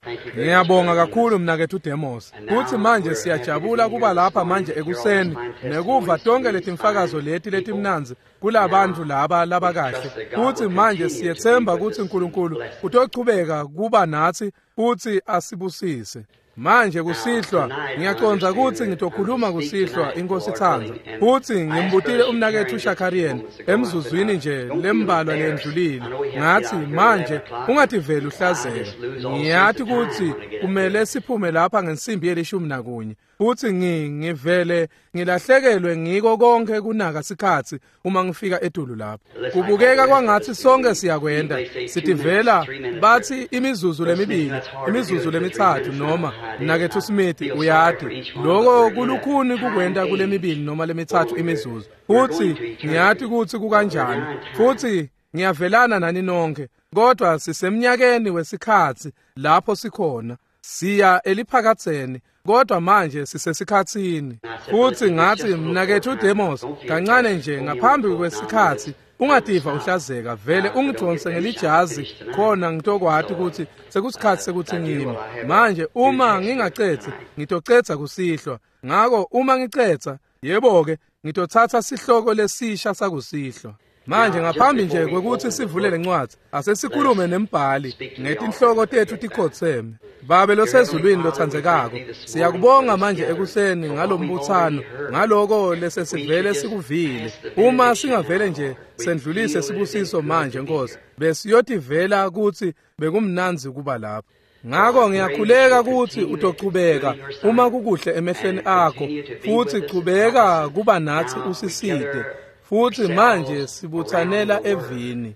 Ngiyabonga kakhulu mnaketfu Demos. Kutsi manje siyajabula kuba lapha manje ekuseni nekuva tonke letimfakazo leti letimnandzi kulabantu laba labakahle. Kutsi manje siyetsemba kutsi uNkulunkulu utochubeka kuba natsi futsi asibusise. Manje kusihlwa ngiyacondza kutsi ngitokhuluma kusihlwa inkosi itsandza. Futsi ngimbutile umnaketfu Shakarian emzuzwini nje lembalwa lendlulile. Ngathi manje ungativeli uhlazeka. Ngiyati kutsi kumele siphume lapha ngensimbi ye-11. Futsi ngivele ngilahlekelwe ngiko konke kunaka sikhatsi uma ngifika etulu lapho. Kubukeka kwangatsi sonke siyakwenda. Sitivela bathi imizuzu lemibili, imizuzu lemithathu noma mnaketfu Smith uyati. Lokho kulukhuni kukwenta kulemibili noma lemithathu imizuzu. Futsi ngiyati kutsi kukanjani. Futsi ngiyavelana nani nonke. Kodwa sisemnyakeni wesikhatsi lapho sikhona. Siya eliphakatseni kodwa manje sisesikhatsini. Futsi ngathi mnaketfu Demos kancane nje ngaphambi kwesikhatsi ungativa uhlazeka vele ungidonse ngelijazi khona ngitokwati ukuthi sekusikhatsi sekuthi ngime. Manje uma ngingacedzi ngitocedza kusihlwa. Ngako uma ngicedza yebo-ke ngitotsatsa sihloko lesisha sakusihlwa. Manje ngaphambi nje kwekuthi sivule lencwadzi asesikhulume nembhali ngetinhloko tetfu tikhotseme. Babe losezulwini lotsandzekako, siyakubonga manje ekuseni ngalombutsano ngaloko lesesivele sikuvile. Uma singavele nje sendlulise sibusiso manje Nkosi, besiyotivela kutsi bekumnandzi kuba lapha. Ngako ngiyakhuleka kutsi utochubeka uma kukuhle emehlweni akho futsi chubeka kuba natsi usisite. Futsi manje sibutsanela evini.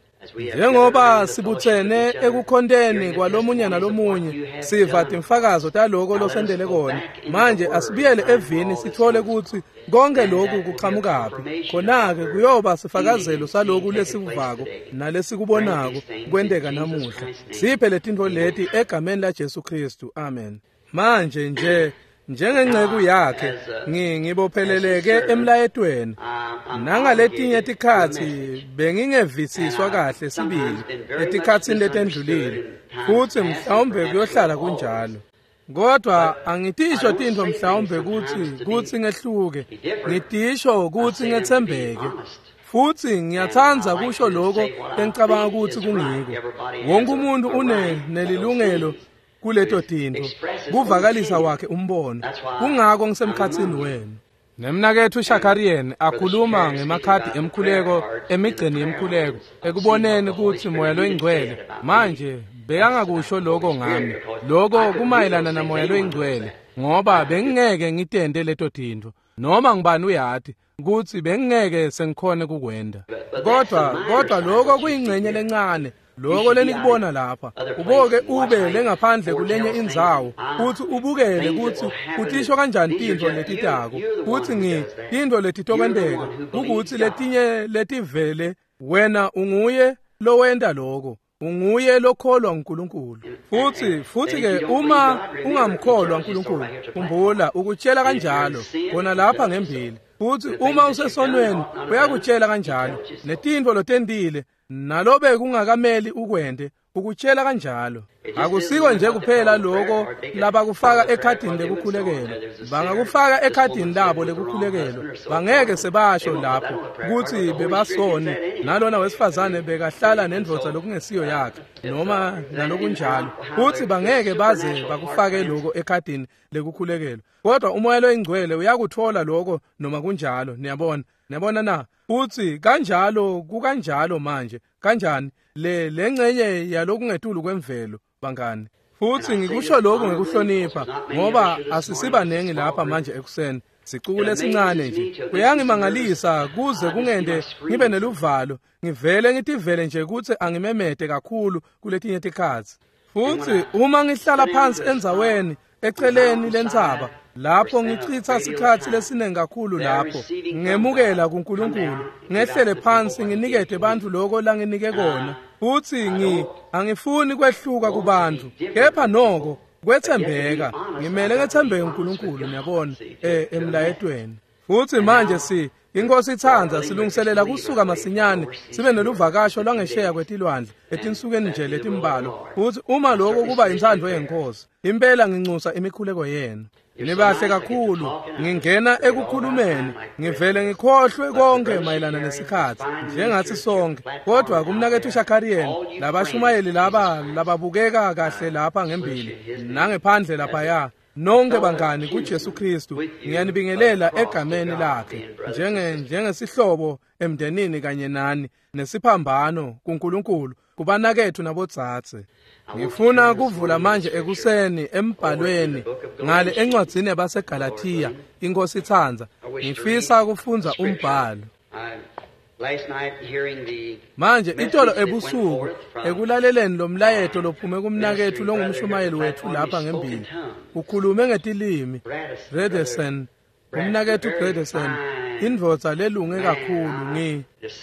Njengoba sibutsene ekukhonteni kwalomunye nalomunye siva timfakazo taloko losendele kona. Manje asibuyele evini sithole kutsi konke lokhu kuqhamukaphi. Khona-ke kuyoba sifakazelo saloku lesikuvako nalesikubonako kwenteka namuhla. Siphe letintfo leti egameni laJesu Kristu. Amen. Manje nje njengenceku yakhe ngibopheleleke emlayetweni. Nangaletinye tikhatsi bengingevisiswa kahle sibili etikhatsini letendlulile futsi mhlawumbe kuyohlala kunjalo. Kodwa angitisho tintfo mhlawumbe kutsi ngehluke, ngitisho kutsi ngetsembeke. Futsi ngiyatsandza kusho lokho lengicabanga kutsi kungiko. Wonke umuntu unelilungelo kuleto tintfo kuvakalisa wakhe umbono. Kungako ngisemkhatsini wenu. Nemnaketfu Shakarian akhuluma ngemakhadi emkhuleko emigceni yemkhuleko ekuboneni kutsi Moya loyiNgcwele manje bekangakusho lokho ngami. Lokho kumayelana naMoya loyiNgcwele ngoba bengingeke ngitente leto tintfo noma ngibani uyati kutsi bengingeke sengikhone kukwenda. Kodwa lokho kuyingcenye lencane. Lokho lenikubona lapha uboke ube lengaphandle kulenye indzawo futhi ubukele kutsi utisho kanjani tintfo letitako kutsi tintfo letitokwenteka kukutsi letinye letivele wena unguye lowenta lokho, unguye lokholwa uNkulunkulu. Futhi ke uma ungamkholwa uNkulunkulu khumbula ukutshela kanjalo khona lapha ngembili. Futhi uma usesonweni uyakutshela kanjalo netintfo lotentile nalobe kungakameli ukwente ukutshela kanjalo. Akusiko nje kuphela lokho labakufaka ekhadini lekukhulekelo. Bangakufaka ekhadini labo lekukhulekelo. Bangeke sebasho lapho kutsi bebasoni nalona wesifazane bekahlala nendvodza lokungesiyo yakhe noma nalokunjalo. Futhi bangeke baze bakufake lokho ekhadini lekukhulekelo. Kodwa uMoya loyiNgcwele uyakuthola lokho noma kunjalo. Niyabona? Niyabona na? Futhi kanjalo kukanjalo manje. Kanjani le lengcenye yalokungetulu kwemvelo bangani. Futhi ngikusho lokhu ngekuhlonipha ngoba asisibanengi lapha manje ekuseni. Sicuku lesincane nje. Kuyangimangalisa kuze kungende ngibe neluvalo. Ngivele ngitivele nje kutsi angimemete kakhulu kuletinye tikhatsi. Futhi uma ngihlala phansi endzaweni eceleni lentsaba lapho ngichitha sikhatsi lesiningi kakhulu lapho ngemukela kuNkulunkulu ngehlele phansi nginikete bantfu lokho langinike kona. Futhi angifuni kwehluka kubantu kepha noko kwetsembeka ngimele ngetsembeke uNkulunkulu niyabona emlayetweni. Futhi manje inkosi itsandza silungiselela kusuka masinyane sibe neluvakasho lwangesheya kwetilwandle etinsukwini nje letimbalwa. Futhi uma lokho kuba intsandvo yenkosi, impela nginxusa imikhuleko yenu. Nibahle kakhulu, ngingena ekukhulumeni, ngivele ngikhohlwe konke mayelana nesikhathi, njengathi sonke. Kodwa kumnakethu Shakarian, labashumayeli laba lababukeka kahle lapha ngembili nangephandle laphaya, nonke bangani kuJesu Kristu, ngiyanibingelela egameni lakhe, njengesihlobo emndenini kanye nani, nesiphambano kuNkulunkulu, kubanakethu nabodzadze. Ngifuna kuvula manje ekuseni embhalweni ngale encwadzini yabaseGalathiya, inkosi itsandza. Ngifisa kufundza umbhalo. Manje itolo ebusuku ekulaleleni lo mlayeto lophume kumnakethu longumshumayeli wethu lapha ngembili, ukhulume ngetilimi. Redesen, umnakethu Redesen, indvodza lelunge kakhulu.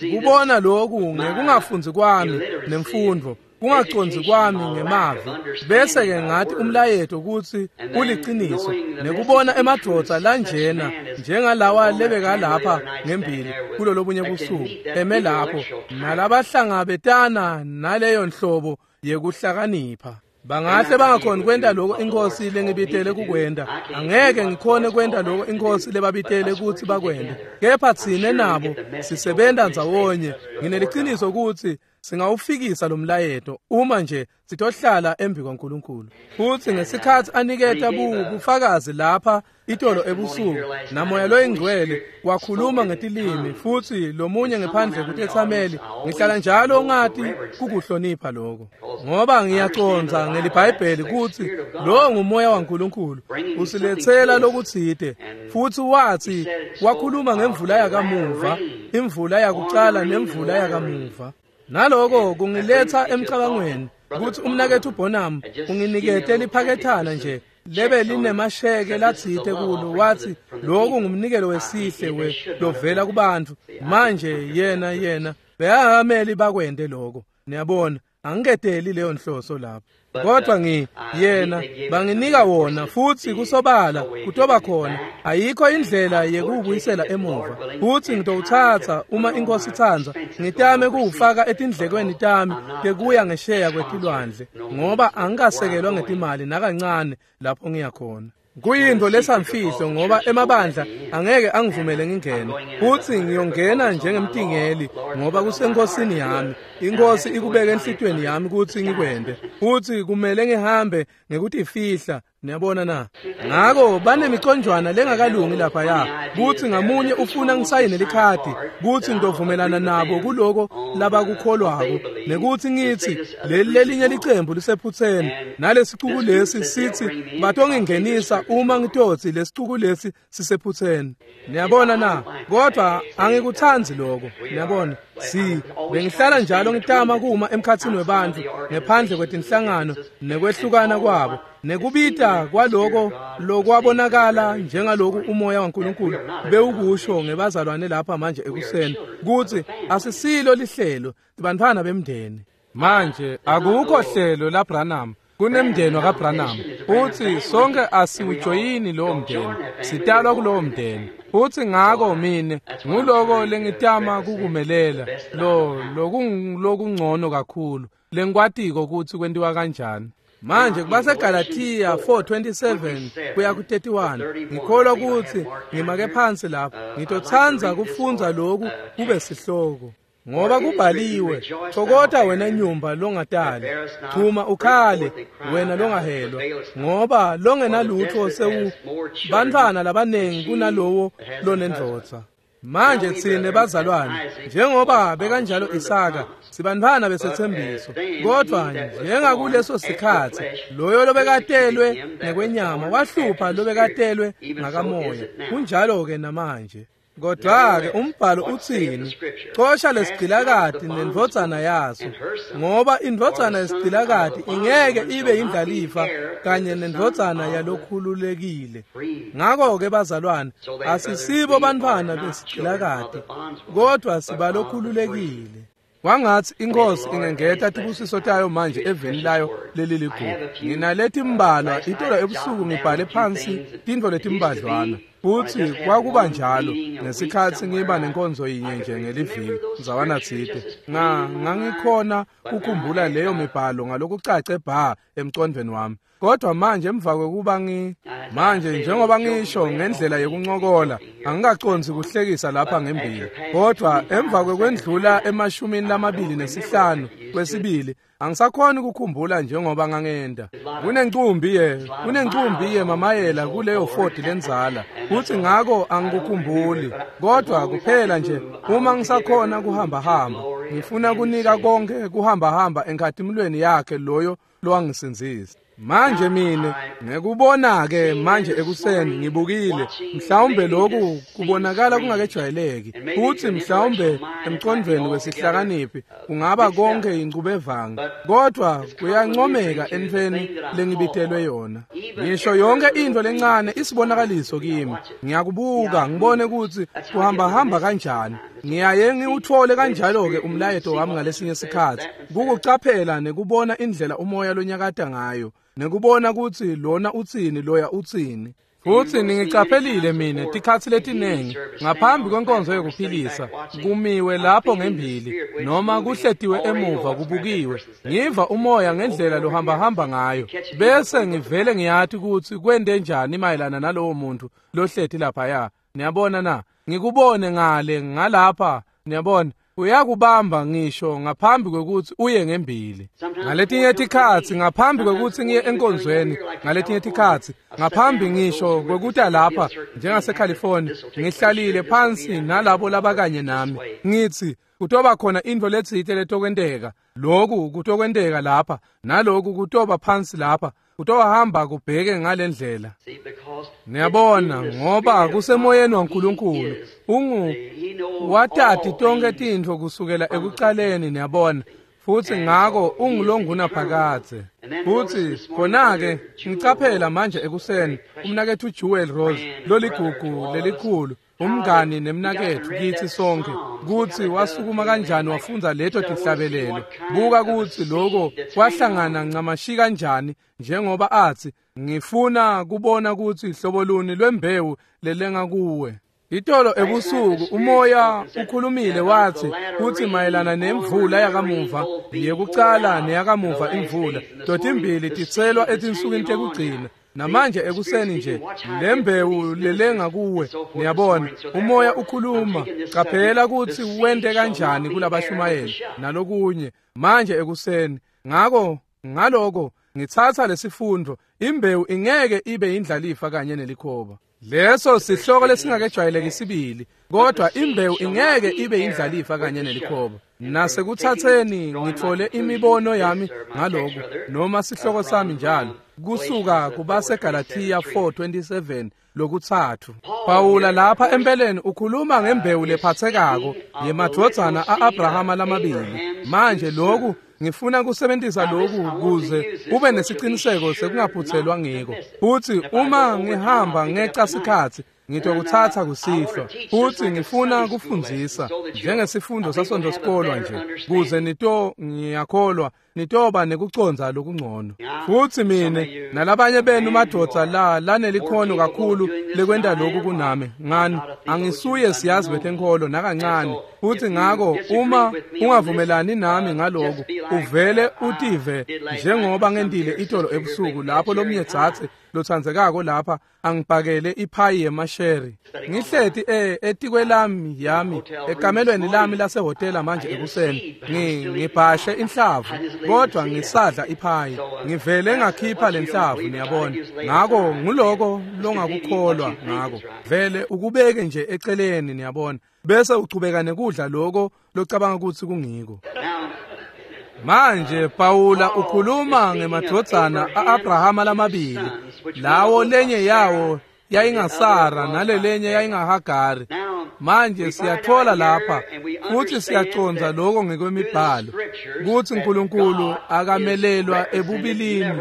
Ngikubona lokhu ngekungafundzi kwami nemfundvo, kungaconzi kwami ngemavi, bese ke ngathi umlayeto ukuthi uliciniso, nekubona emadvodza lanjena njengalawa lebeka lapha ngembili kulolobunye busuku eme lapho nalabahlangabetana naleyo nhlobo yekuhlakanipha. Bangahle bangakhoni kwenta lokho inkosi lengibitele kukwenta. Angeke ngikhone kwenta lokho inkosi lebabitele ukuthi bakwente, kepha tsine nabo sisebenta ndzawonye. Ngineliciniso ukuthi singawufikisa lo mlayeto uma nje sitohlala embi kwaNkulunkulu. Futhi ngesikhathi aniketa bufakazi lapha itolo ebusuku, namoya loyingcwele wakhuluma ngetilimi, futhi lomunye ngephandle kutethameli, ngihlala njalo ngathi kukuhlonipha lokho, ngoba ngiyacondza ngeliBhayibheli ukuthi lo ngumoya waNkulunkulu usilethela lokutsite. Futhi wathi wakhuluma ngemvula yakamuva, imvula yakucala nemvula yakamuva. Naloko kungiletha emcabangweni ukuthi umnakethu Bonham unginikete liphakethana nje lebe linemasheke latsite kulo, wathi lokhu ngumnikelo wesihle lovela kubantu. Manje yena beyangameli bakwente lokho. Niyabona, angiketeli leyo nhloso lapho, kodwa yena banginika wona, futhi kusobala kutoba khona ayikho indlela yekuwubuyisela emuva. Futhi ngitowuthatha uma inkosi itsandza, ngitame kuwufaka etindlekweni tami tekuya ngesheya kwetilwandle, ngoba angikasekelwa ngetimali nakancane lapho ngiyakhona. Kuyinto lesamfihlo ngoba emabandla angeke angivumele ngingene, futhi ngiyongena njengemtingeli ngoba kusenkosini yami. Inkosi ikubeke enhlitweni yami ukuthi ngikwente, futhi kumele ngihambe ngekutifihla. Niyabona na? Ngako banemiconjwana lengakalungi laphaya, kuthi ngamunye ufuna ngisayine likhadi kuthi ngitovumelana nabo kuloko labakukholwako, nekuthi ngithi leli lelinye licembu lisephutheni, nalesicuku lesi sithi batongingenisa uma ngitotsi lesicuku lesi sisephutheni. Niyabona na? Kodwa angikutsandzi lokho. Niyabona, bengihlala njalo ngitama kuma emkhatsini webantfu ngephandle kwetinhlangano nekwehlukana kwabo, nekubita kwaloko lokwabonakala njengaloku umoya waNkulunkulu bewukusho ngebazalwane lapha manje ekuseni, kuthi asisilo lihlelo, sibantfwana bemndeni. Manje akukho hlelo laBranham, kunemndeni wakaBranham, futhi sonke asiwujoyini lowo mndeni, sitalwa kulowo mndeni. Futhi ngako mine nguloko lengitama kukumelela, lo lokungcono kakhulu lengikwatiko ukuthi kwentiwa kanjani. Manje kubaseGalathiya 4:27 kuya ku-31, ngikholwa ukuthi ngimake phansi lapho. Ngitotsandza kufundza lokhu kube sihloko. Ngoba kubhaliwe, thokota wena nyumba longatali, chuma ukhale wena longahelwa, ngoba longenalutho bantfwana labanengi kunalowo lonendvodza. Manje tsine bazalwane, njengoba bekanjalo Isaka, sibantfwana besethembiso. Kodwa njengakuleso sikhathi, loyo lobekatelwe ngekwenyama wahlupha lobekatelwe ngakamoya. Kunjalo-ke namanje. Kodwa-ke umbhalo utsini? Cosha lesigcilakati nendvodzana yaso, ngoba indvodzana yesigcilakati ingeke ibe indlalifa kanye nendvodzana yalokhululekile. Ngako-ke bazalwane, asisibo bantfwana besigcilakati, kodwa sibalokhululekile. Kwangathi inkosi ingengeta tibusiso tayo manje eveni layo leliligugu. Nginaleti mbalwa itolo ebusuku ngibhale phansi tintfo letimbadlwana. Futsi kwakuba njalo ngesikhatsi ngiba nenkonzo yinye nje ngeliviki ndzawana tsite. Ngangikhona kukhumbula leyo mibhalo ngalokucace bha emcondvweni wami. Kodwa manje emva kwekuba manje njengoba ngisho ngendlela yekuncokola angikacondzi kuhlekisa lapha ngembili, kodwa emva kwekwendlula emashumini lamabili nesihlanu kwesibili angisakhoni ukukhumbula njengoba ngangenda. Kunencumbi yemamayela kuleyo Ford lenzala, futhi ngako angikukhumbuli, kodwa kuphela nje uma ngisakhona kuhamba-hamba ngifuna kunika konke kuhamba-hamba enkhatimulweni yakhe loyo lowangisindzisa. Manje mine ngekubona-ke manje ekuseni ngibukile, mhlawumbe lokhu kubonakala kungakejwayeleki, futhi mhlawumbe emcondvweni wesihlakaniphi kungaba konke incubevanga, kodwa kuyancomeka entfweni lengibitelwe yona. Ngisho yonke into lencane isibonakaliso kimi, ngiyakubuka ngibone ukuthi kuhamba-hamba kanjani. Ngiyaye ngiwuthole kanjalo-ke umlayeto wami ngalesinye sikhathi, kukucaphela nekubona indlela umoya lonyakata ngayo, nekubona ukuthi lona utsini loya utsini. Futhi ningicaphelile mine tikhatsi letinengi ngaphambi kwenkonzo yokuphilisa kumiwe lapho ngembili noma kuhletiwe emuva kubukiwe, ngiva umoya ngendlela lohambahamba ngayo, bese ngivele ngiyati ukuthi kwente njani mayelana nalowo muntu lohleti laphaya. Niyabona na? Ngikubone ngale ngalapha, niyabona, uyakubamba ngisho ngaphambi kwekuthi uye ngembili. Ngaletinye tikhatsi ngaphambi kwekuthi ngiye enkonzweni, ngaletinye tikhatsi ngaphambi ngisho kwekuta lapha njengaseCalifornia, ngihlalile phansi nalabo labakanye nami, ngithi kutoba khona intfo letsite letokwenteka, lokhu kutokwenteka lapha naloku kutoba phansi lapha, kutohamba kubheke ngalendlela. Niyabona, ngoba kusemoyeni waNkulunkulu, ungu watati tonke tintfo kusukela ekucaleni, niyabona, futhi ngako ungulonguna phakadze. Futhi khona-ke ngicaphela manje ekuseni umnaketfu Jewel Rose loligugu lelikhulu, umngani nemnaketfu kitsi sonke, kutsi wasukuma kanjani wafundza leto tihlabelelo. Buka kutsi lokho kwahlangana ncamashi kanjani, njengoba athi ngifuna kubona kutsi hlobo luni lwembewu lelenga kuwe. Itolo ebusuku umoya ukhulumile wathi kuthi mayelana nemvula yakamuva yekucala neyakamuva imvula totimbili titselwa etinsukwini tekugcina. Namanje ekuseni nje lembewu lelenga kuwe, niyabona, umoya ukhuluma, caphela kutsi wente kanjani kulabashumayeli nalokunye manje ekuseni. Ngako ngaloko ngitsatsa lesifundo, imbewu ingeke ibe indlalifa kanye nelikhoba. Leso sihloko lesingakejwayeleki sibili, kodwa imbewu ingeke ibe indlalifa kanye nelikhoba. Nasekuthatheni ngithole imibono yami ngaloku, noma sihloko sami njalo, kusuka kubaseGalathiya 4:27 lokuthathu. Pawula lapha empeleni ukhuluma ngembewu lephathekako yemadvodzana a-Abrahama lamabili. Manje lokhu ngifuna kusebenzisa lokhu kuze kube nesiciniseko sekungaphuthelwa ngiko. Futhi uma ngihamba ngeca sikhatsi ngitokuthatha kusihlwa, futhi ngifuna kufundzisa njengesifundo sasonto sikolwa nje, kuze ngiyakholwa nitoba nekucondza lokungcono. Futhi mine nalabanye benu madvodza la lanelikhono kakhulu lekwenta lokhu kunami, ngani angisuye siyazi betenkholo nakancane. Futhi ngako uma ungavumelani nami ngaloku, uvele utive njengoba ngentile itolo ebusuku lapho lomnye dzadze lotsandzekako lapha angibhakele iphayi yemasheri. Ngihleti etikwelami yami ekamelweni lami lasehhotela manje ekuseni, ngibhashe inhlavu kodwa ngisadla iphayi, ngivele ngakhipha lenhlavu, niyabona. Ngako nguloko longakukholwa ngako, vele ukubeke nje eceleni, niyabona, bese uchubeka nekudla loko locabanga kutsi kungiko. Manje Pawula ukhuluma ngemadvodzana a-Abrahama lamabili, lawo lenye yawo yayingaSara nalelenye yayingaHagari. Manje siyathola lapha futhi siyacondza lokho ngekwemibhalo kutsi uNkulunkulu akamelelwa ebubilini,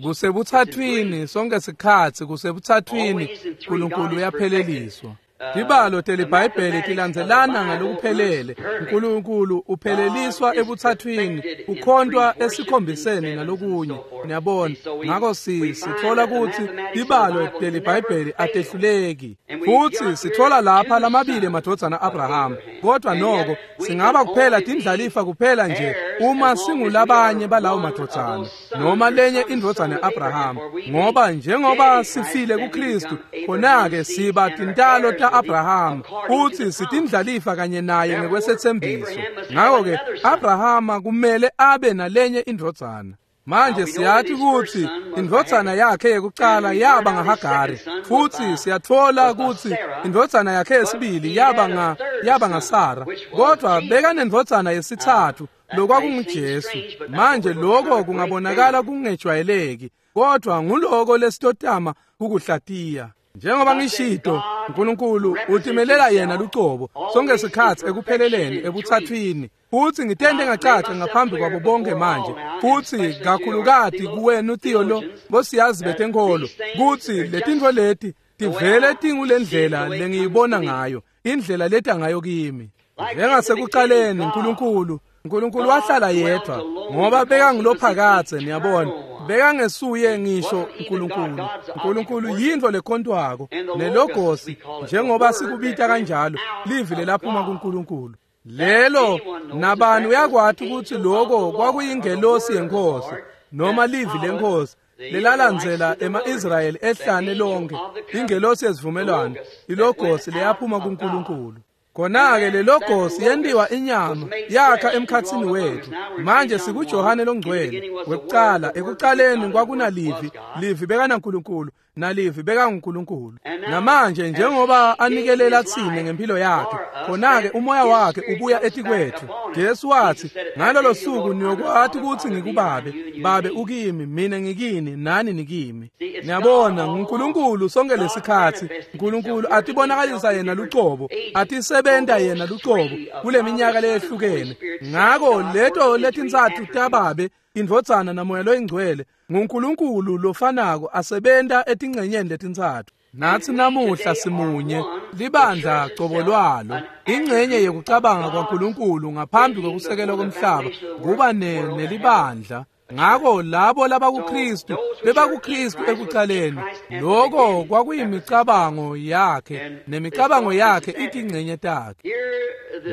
kusebuthathwini sonke sikhatsi, kusebuthathwini uNkulunkulu uyapheleliswa. Tibalo teliBhayibheli tilandzelana ngalokuphelele. uNkulunkulu upheleliswa ebuthathwini, ukhontwa esikhombiseni nalokunye. Niyabona, ngakho sithola ukuthi tibalo teliBhayibheli atehluleki. Futhi sithola lapha lamabili emadvodzana Abraham, kodwa noko singaba kuphela tindlalifa kuphela nje uma singulabanye balawo madvodzana noma lenye indvodzana ya-Abraham, ngoba njengoba sifile kuKristu, khona-ke siba tintalo ta-Abraham futhi sitindlalifa kanye naye ngekwesethembiso. Ngakho-ke Abrahama kumele abe nalenye indvodzana. Manje siyathi ukuthi indvodzana yakhe yekucala yaba ngaHagari, futhi siyathola ukuthi indvodzana yakhe yesibili yaba ngaSara, kodwa bekanendvodzana yesithathu lokwakunguJesu. Manje lokho kungabonakala kungejwayeleki, kodwa nguloko lesitotama kukuhlatiya. Njengoba ngishito, uNkulunkulu utimelela yena lucobo sonke sikhatsi ekupheleleni ebuthathwini. Futhi ngitende ngacaca ngaphambi kwabo bonke manje, futhi kakhulukati kuwena uTheo bosiyazi betenkolo, kutsi letintfo leti tivele tingulendlela lengiyibona ngayo, indlela leta ngayo kimi. Njengasekucaleni uNkulunkulu wahlala yedwa, ngoba bekangulophakadze. Niyabona, bekangesuye ngisho uNkulunkulu. uNkulunkulu yintfo lekhontwako, nelogosi njengoba sikubita kanjalo, livi lelaphuma kuNkulunkulu. Lelo nabani uyakwati ukuthi lokho kwakuyingelosi yenkosi noma livi lenkosi lelalandzela ema-Israyeli ehlane lonke, ingelosi yesivumelwano, ilogosi leyaphuma kuNkulunkulu. Khona-ke lelogosi yentiwa inyama yakha emkhatsini wethu. Manje sikuJohane longcwele wekucala. Ekucaleni kwakunalivi, livi bekanaNkulunkulu, nalivi bekanguNkulunkulu. Namanje njengoba anikelela tsine ngempilo yakhe, khona-ke umoya wakhe ubuya etikwethu. Jesu wathi, ngalolo suku niyokwati ukuthi ngikubabe, babe ukimi, mina ngikini, nani nikimi. Niyabona, nguNkulunkulu sonke lesikhatsi. uNkulunkulu atibonakalisa yena lucobo, atisebenta yena lucobo kule minyaka leyehlukene. Ngako leto letintsatfu tababe, indvodzana namoya loyingcwele, nguNkulunkulu lofanako asebenta etingcenyeni letintsatfu. Natsi namuhla simunye, libandla cobo lwalo, ingcenye yekucabanga kwaNkulunkulu ngaphambi kwekusekelwa komhlaba kuba nelibandla. Ngako labo labakuKristu bebakuKristu ekucaleni, lokho kwakuyimicabango yakhe, nemicabango yakhe itingcenye takhe.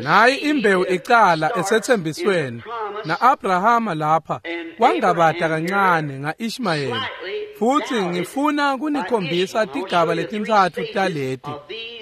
Nayi imbewu icala esethembisweni, na-Abrahama lapha wangabata kancane nga-Ishmayeli. Futhi ngifuna kunikhombisa tigaba letintsatfu taleti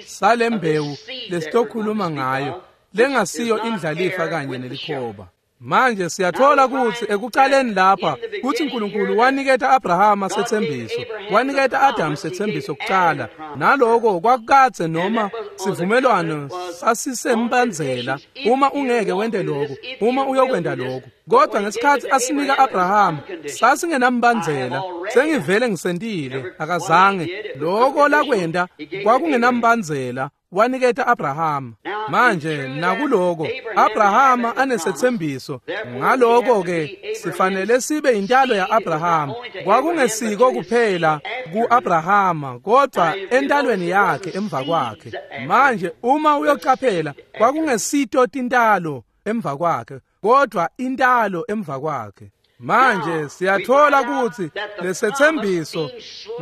salembewu lesitokhuluma ngayo, lengasiyo indlalifa kanye nelikhoba. Manje siyathola ukuthi ekucaleni lapha kuthi uNkulunkulu waniketa Abrahama sethembiso, waniketa Adam sethembiso kucala, naloko kwakukadze noma sivumelwano sasisembandzela, uma ungeke wente lokho, uma uyokwenta lokho. Kodwa ngesikhathi asinika Abraham sasingenambandzela, sengivele ngisentile, akazange lokho lakwenta kwakungenambandzela, waniketa Abraham. Manje nakuloko Abraham anesethembiso, ngaloko ke sifanele sibe intalo yaAbraham. Kwakungesiko kuphela kuAbraham, kodwa entalweni yakhe emva kwakhe. Manje uma uyocaphela, kwakungesito tintalo emva kwakhe, kodwa intalo emva kwakhe. Manje siyathola ukuthi lesethembiso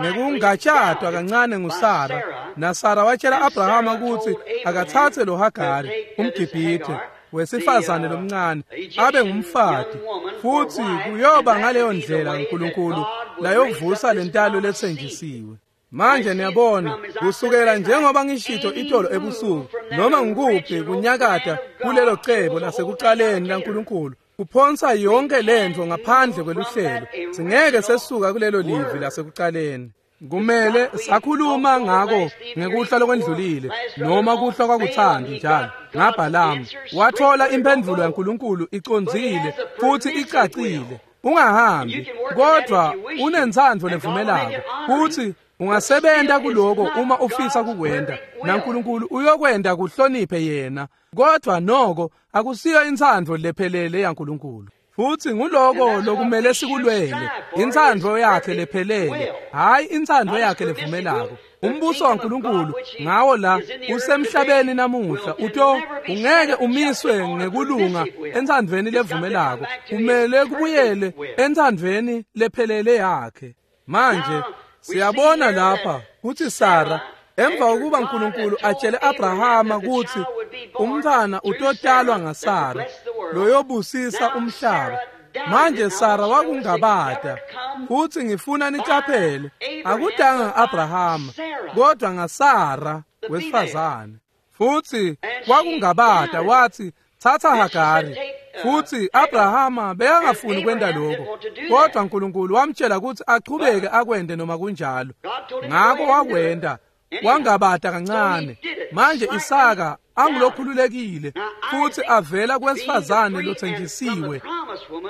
ngekungatshadwa kancane nguSara, naSara watshela Abrahama ukuthi akathathe lo Hagari umGibhithe wesifazane lomncane abe ngumfati, futhi kuyoba ngaleyo ndlela uNkulunkulu layovusa lentalo lethenjisiwe. Manje niyabona, kusukela njengoba ngishito itolo ebusuku, noma ngikuphi kunyakata kulelo cebo lasekucaleni laNkulunkulu kuphonsa yonke lento ngaphandle kweluhlelo. Singeke sesuka kulelo livi lasekucaleni. Kumele sakhuluma ngako ngekuhla lokwendlulile, noma kuhla kwakuthandi njalo ngaBhalamu. Wathola imphendvulo yaNkulunkulu icondzile futhi icacile. Ungahambi, kodwa unentsandvo levumelako futhi ungasebenta kuloko uma ufisa kukwenta, naNkulunkulu uyokwenta kuhloniphe yena, kodwa noko akusiyo intsandvo lephelele yaNkulunkulu. Futhi nguloko lokumele sikulwele, intsandvo yakhe lephelele, hhayi intsandvo yakhe levumelako. Umbuso waNkulunkulu ngawo la usemhlabeni namuhla uto ungeke umiswe ngekulunga entsandvweni levumelako, kumele kubuyele entsandvweni lephelele yakhe. Manje siyabona lapha kutsi Sara emva kokuba uNkulunkulu atshele Abrahama kutsi umntfwana utotalwa ngaSara loyobusisa umhlaba, manje Sara wakungabata. Futhi ngifuna nicaphele, akudanga Abrahama kodwa ngaSara wesifazane. Futhi wakungabata wathi thatha Hagari. Futhi Abrahama bekangafuni kwenta lokho, kodwa uNkulunkulu wamtshela ukuthi achubeke akwende noma kunjalo. Ngakho wakwenda, wangabata kancane. Manje Isaka angulokhululekile futhi avela kwesifazane lothenjisiwe,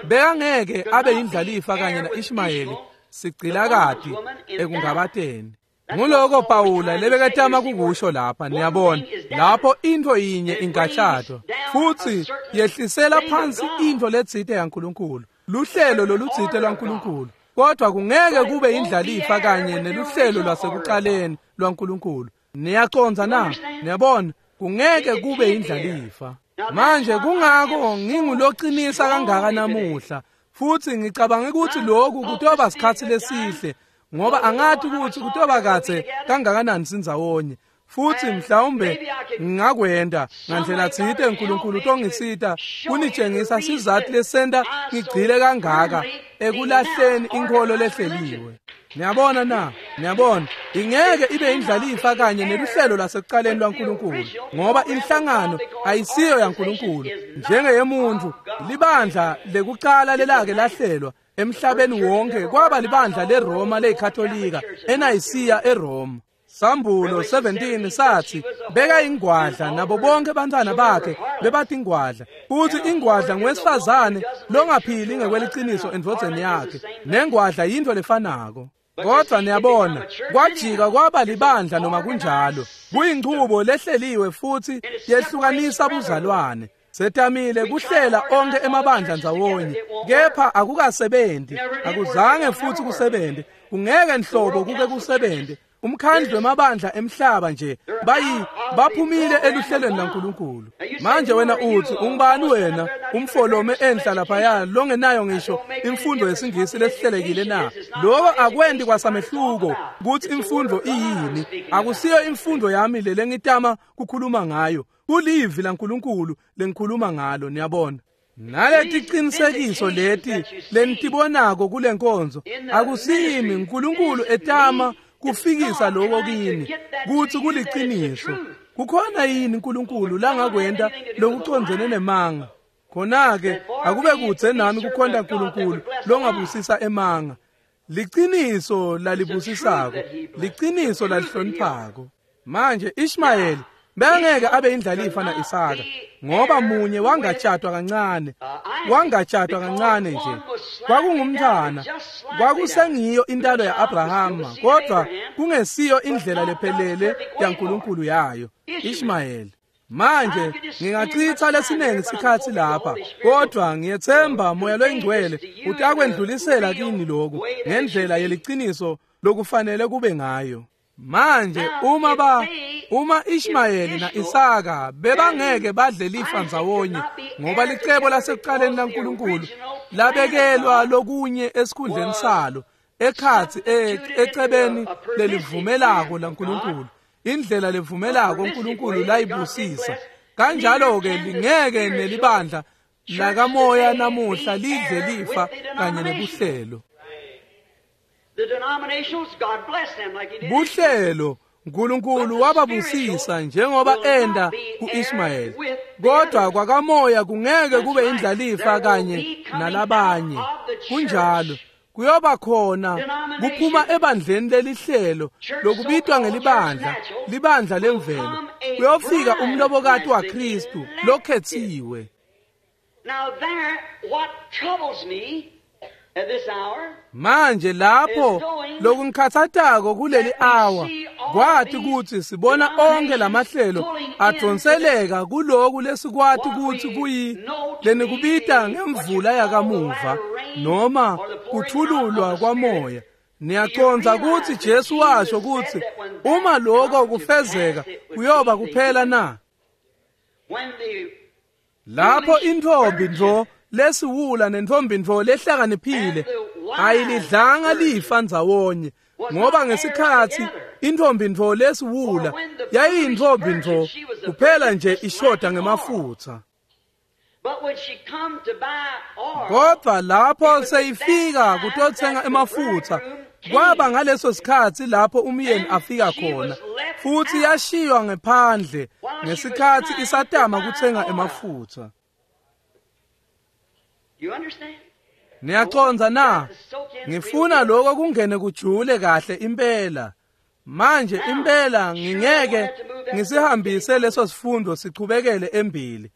bekangeke abe yindlalifa kanye na-Ishmayeli sigcilakati ekungabateni. Nguloko Pawula lebeketama kukusho lapha, niyabona, lapho into yinye ingatshatwa futhi yehlisela phansi into letsite yaNkulunkulu, luhlelo lolutsite lwaNkulunkulu, kodwa kungeke kube indlalifa kanye neluhlelo lwasekuqaleni lwaNkulunkulu. Niyacondza na? Niyabona, kungeke kube indlalifa. Manje kungako nginguloqinisa kangaka namuhla, futhi ngicabanga ukuthi lokhu kutoba sikhathi lesihle, ngoba angathi ukuthi kutoba kadze kangakanani sindzawonye. Futhi mhlawumbe ngingakwenda ngandlela tsite uNkulunkulu utongisita kunitshengisa sizathu lesenta ngigcile kangaka ekulahleni inkholo lehleliwe. Niyabona na? Niyabona, ingeke ibe indlalifa kanye neluhlelo lasekuqaleni lwaNkulunkulu, ngoba inhlangano ayisiyo yaNkulunkulu njengeyemuntu. Libandla lekuqala lelake lahlelwa emhlabeni wonke kwaba libandla leRoma leyikatholika eNayisiya eRoma. Sambulo 17 sathi beka ingwadla nabo bonke bantwana bakhe bebathi ingwadla. Futhi ingwadla ngowesifazane longaphili ngekweliciniso endvodzeni yakhe, nengwadla yinto lefanako. Kodwa niyabona, kwajika kwaba libandla noma kunjalo, kuyinchubo lehleliwe futhi yehlukanisa buzalwane. Setamile kuhlela onke emabandla ndzawonye, kepha akukasebenzi, akuzange futhi kusebenze, kungeke nhlobo kuke kusebenze. Umkhandlu wemabandla emhlaba nje baphumile eluhlelweni laNkulunkulu. Manje wena uthi ungubani wena umfolome enhla laphaya longenayo ngisho imfundo yesingisi lesihlelekile na? Lokho akwendi kwasamehluko ukuthi imfundo iyini. Akusiyo imfundo yami le lengitama kukhuluma ngayo, kulivi laNkulunkulu lengikhuluma ngalo. Niyabona, naleti qinisekiso leti lenitibonako kule nkonzo akusimi uNkulunkulu etama kufikisa lokho kini kuthi kuliciniso. Kukhona yini uNkulunkulu langakwenta lokucondzene nemanga? Khona-ke akube kudze nami kukhonta uNkulunkulu longabusisa emanga. Liciniso lalibusisako, liciniso lalihloniphako. Manje Ishmayeli bengeke abe indlalifa na-Isaka, ngoba munye wangatshatwa kancane, wangatshatwa kancane nje. Kwakungumntwana, kwakusengiyo intalo ya-Abrahama, kodwa kungesiyo indlela lephelele yaNkulunkulu yayo, Ishmayeli. Manje ngingachitha lesiningi isikhathi lapha, kodwa ngiyethemba Moya loyiNgcwele utakwendlulisela kini lokhu ngendlela yeliciniso lokufanele kube ngayo. Manje uma Ishmayeli na-Isaka bebangeke badle lifa ndzawonye, ngoba licebo lasekuqaleni laNkulunkulu labekelwa lokunye esikhundleni salo ekhathi ecebeni lelivumelako laNkulunkulu, indlela levumelako uNkulunkulu layibusisa. Kanjalo-ke lingeke nelibandla lakamoya namuhla lidle lifa kanye nebuhlelo. Buhlelo uNkulunkulu wababusisa njengoba enda kuIshmayeli, kodwa kwakamoya kungeke kube indlalifa kanye nalabanye. Kunjalo kuyoba khona kuphuma ebandleni lelihlelo lokubitwa ngelibandla, libandla lemvelo, kuyofika umlobokati waKristu lokhethiwe. Manje lapho lokungikhathatako kuleli awa Kwati kutsi sibona onkhe lamahlelo adonseleka kuloku lesikwati kutsi kuyi lenikubita ngemvula yakamuva noma kuthululwa kwamoya. Niyacondza kutsi Jesu washo kutsi uma lokho kufezeka kuyoba kuphela na? Lapho intfombi ntfo lesiwula nentfombi ntfo lehlakaniphile ayilidlanga lifa ndzawonye, ngoba ngesikhatsi intfombi ntfo lesiwula yayiyintfombi ntfo kuphela nje ishoda ngemafutsa. Kodwa lapho seyifika kutotsenga emafutsa, kwaba ngaleso sikhatsi lapho umyeni afika khona, futhi yashiywa ngephandle ngesikhatsi isatama kutsenga emafutsa. Niyacondza na? Ngifuna lokho kungene kujule kahle impela. Manje impela ngingeke ngisihambise leso sifundo sichubekele embili.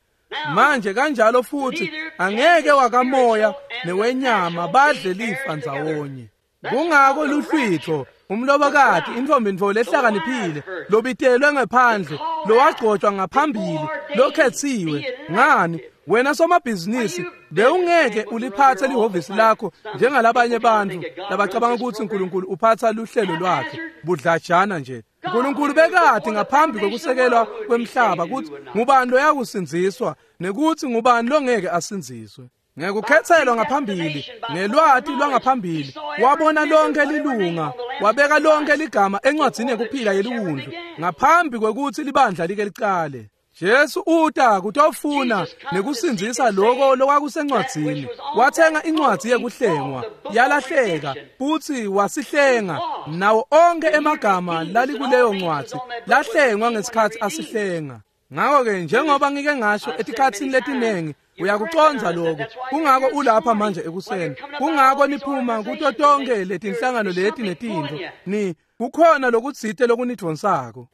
Manje kanjalo futhi angeke wakamoya newenyama badle lifa ndzawonye. Kungako luhlwitho umlobokati intfombi ntfo lehlakaniphile lobitelwe ngephandle lowagcotshwa ngaphambili lokhetsiwe. Ngani wena somabhizinisi bewungeke uliphathe lihhovisi lakho njengalabanye bantfu labacabanga kutsi uNkulunkulu uphatha luhlelo lwakhe budlajana nje. uNkulunkulu bekade ngaphambi kokusekelwa kwemhlaba kutsi ngubani loyakusindziswa nekutsi ngubani longeke asindziswe. Ngekukhetselwa ngaphambili ngelwati lwangaphambili wabona lonke lilunga, wabeka lonke ligama encwadzini yekuphila yeliwundlu ngaphambi kwekutsi libandla like licale. Jesu uta kutofuna nekusindzisa lokho lokwakusencwadzini. Wathenga incwadzi yekuhlengwa yalahleka futsi wasihlenga nawo onke emagama lalikuleyo ncwadzi lahlengwa ngesikhatsi asihlenga. Ngakho-ke njengoba ngike ngasho etikhatsini letinengi, uyakucondza lokho. Kungako ulapha manje ekuseni, kungako niphuma kuto tonke letinhlangano leti netintfo, ni kukhona lokutsite lokunidvonsako.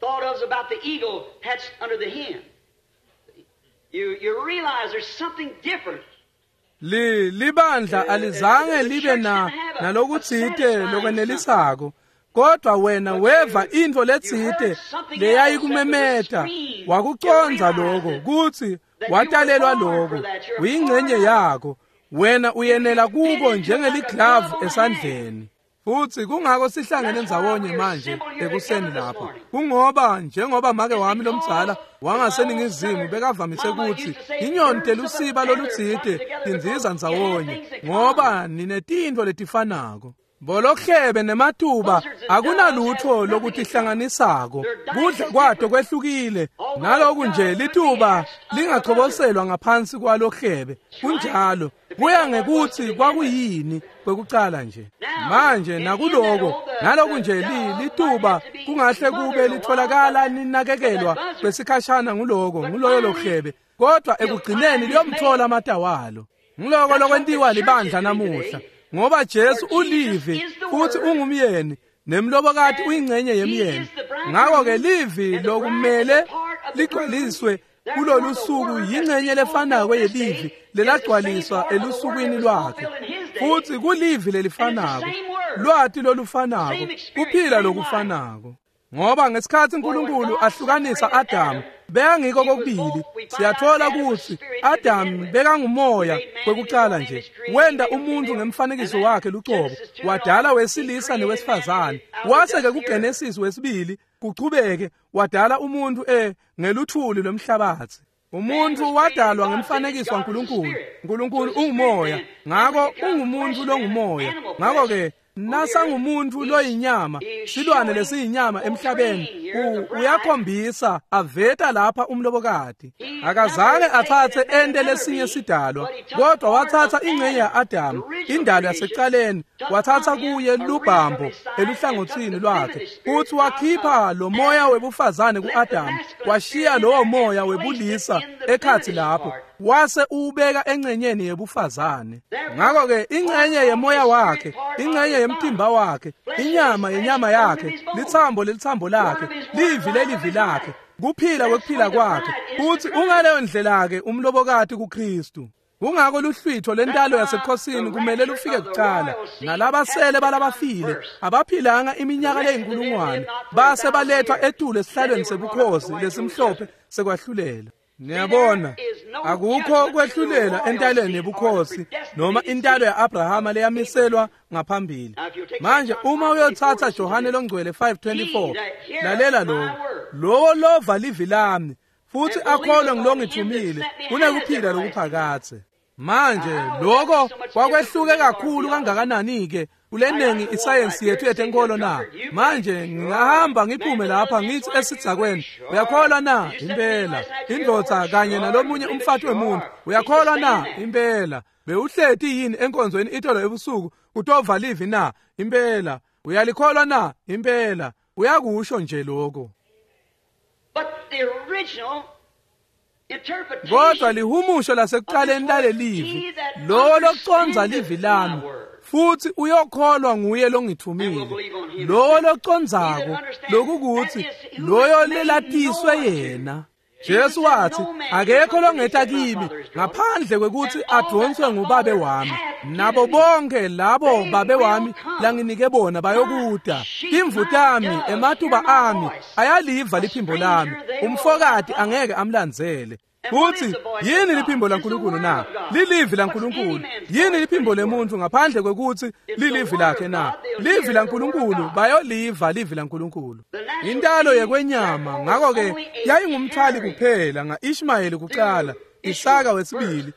Thought of about the eagle hatched under the hen. You realize there's something different. Libandla alizange libe na nalokutsite lokwenelisako, kodwa wena weva intfo letsite leyayikumemeta, wakucondza lokho kutsi watalelwa lokho, uyingcenye yako, wena uyenela kuko njengeliglavu esandleni. Futhi kungako sihlangene ndzawonye manje ekuseni lapha, kungoba njengoba make wami lomdzala wangaseningizimu bekavamise kutsi inyoni telusiba lolutsite tindiza ndzawonye, ngoba ninetintfo letifanako. Bolohlebe nematuba akunalutho lokutihlanganisako, kudla kwato kwehlukile, naloku nje lituba lingachoboselwa ngaphansi kwalohlebe. Kunjalo, kuya ngekutsi kwakuyini kwekucala nje. Manje nakuloko naloku nje lituba kungahle kube litholakala linakekelwa kwesikhashana nguloko nguloyo lohlebe, kodwa ekugcineni liyomthola amatawalo. Ngiloko lokwentiwa libandla namuhla, ngoba Jesu ulivi futhi ungumyeni nemlobokati uyingcenye yemyeni. Ngakho-ke livi lokumele ligcwaliswe kulolu suku yingcenye lefanako yelivi lelagcwaliswa elusukwini lwakhe, futhi kulivi lelifanako, lwati lolufanako, kuphila lokufanako. Ngoba ngesikhatsi uNkulunkulu ahlukanisa Adamu, bekangiko kokubili. Siyathola kutsi Adamu bekangumoya kwekucala nje, wenta umuntu ngemfanekiso wakhe lucobo, wadala wesilisa newesifazane. Wase-ke kuGenesis wesibili kuchubeke wadala umuntu ngeluthuli lwemhlabatsi. Umuntu wadalwa ngemfanekiso waNkulunkulu. Nkulunkulu ungumoya, ngako ungumuntu longumoya. Ngako-ke nasangumuntu loyinyama, silwane lesiyinyama emhlabeni, uyakhombisa aveta lapha umlobokati. Akazange atsatse ente lesinye sidalwa, kodwa watsatsa ingcenye ya-Adamu, indalo yasekucaleni, watsatsa kuye lubhambo eluhlangotsini lwakhe, futhi wakhipha lo moya webufazane ku-Adamu, washiya lowo moya webulisa ekhatsi lapho, wase uwubeka engcenyeni yebufazane. Ngakho-ke ingcenye yemoya wakhe, ingcenye yemtimba wakhe, inyama yenyama yakhe, litsambo lelitsambo lakhe, livi lelivi lakhe, kuphila kwekuphila kwakhe. Futhi ungaleyo ndlela-ke umlobokati kuKristu. Kungako luhlwitho lentalo yasebukhosini kumele lufike kucala, nalabasele balabafile abaphilanga iminyaka leyinkulungwane base balethwa etulu esihlalweni sebukhosi lesimhlophe sekwahlulela. Niyabona, akukho kwehlulela entalweni yebukhosi noma intalo ya-Abrahama leyamiselwa ngaphambili. Manje uma uyothatha Johane longcwele 5:24, lalela lokho: lowo lova livi lami futhi akholwe ngilongithumile unekuphila lokuphakadze. Manje lokho kwakwehluke kakhulu kangakanani-ke kulenengi isayensi yethu yetenkolo na? Manje ngingahamba ngiphume lapha ngithi esidzakweni, uyakholwa na? Impela. Indvodza kanye nalomunye umfati wemuntu, uyakholwa na? Impela. Bewuhleti yini enkonzweni itolo ebusuku kutova livi na? Impela. Uyalikholwa na? Impela. Uyakusho nje lokho. Kodwa lihumusho lasekuqaleni lalelivi, lowo loconza livi lami futhi uyokholwa nguye longithumile, lowo loconzako, lokukuthi loyo lelatiswe yena. Jesu wathi, akekho longeta kimi ngaphandle kwekuthi adonswe ngubabe wami, nabo bonke labo babe wami langinike bona bayokuda. Imvu tami, ematuba ami ayaliva liphimbo lami, umfokati angeke amlandzele. Futhi yini liphimbo laNkulunkulu na? Lilivi laNkulunkulu. Yini liphimbo lemuntu ngaphandle kwekuthi lilivi lakhe na? Livi laNkulunkulu, bayoliva livi laNkulunkulu. Intalo yekwenyama ngakho-ke yayingumthwali kuphela nga-Ishmayeli kuqala, Isaka wesibili,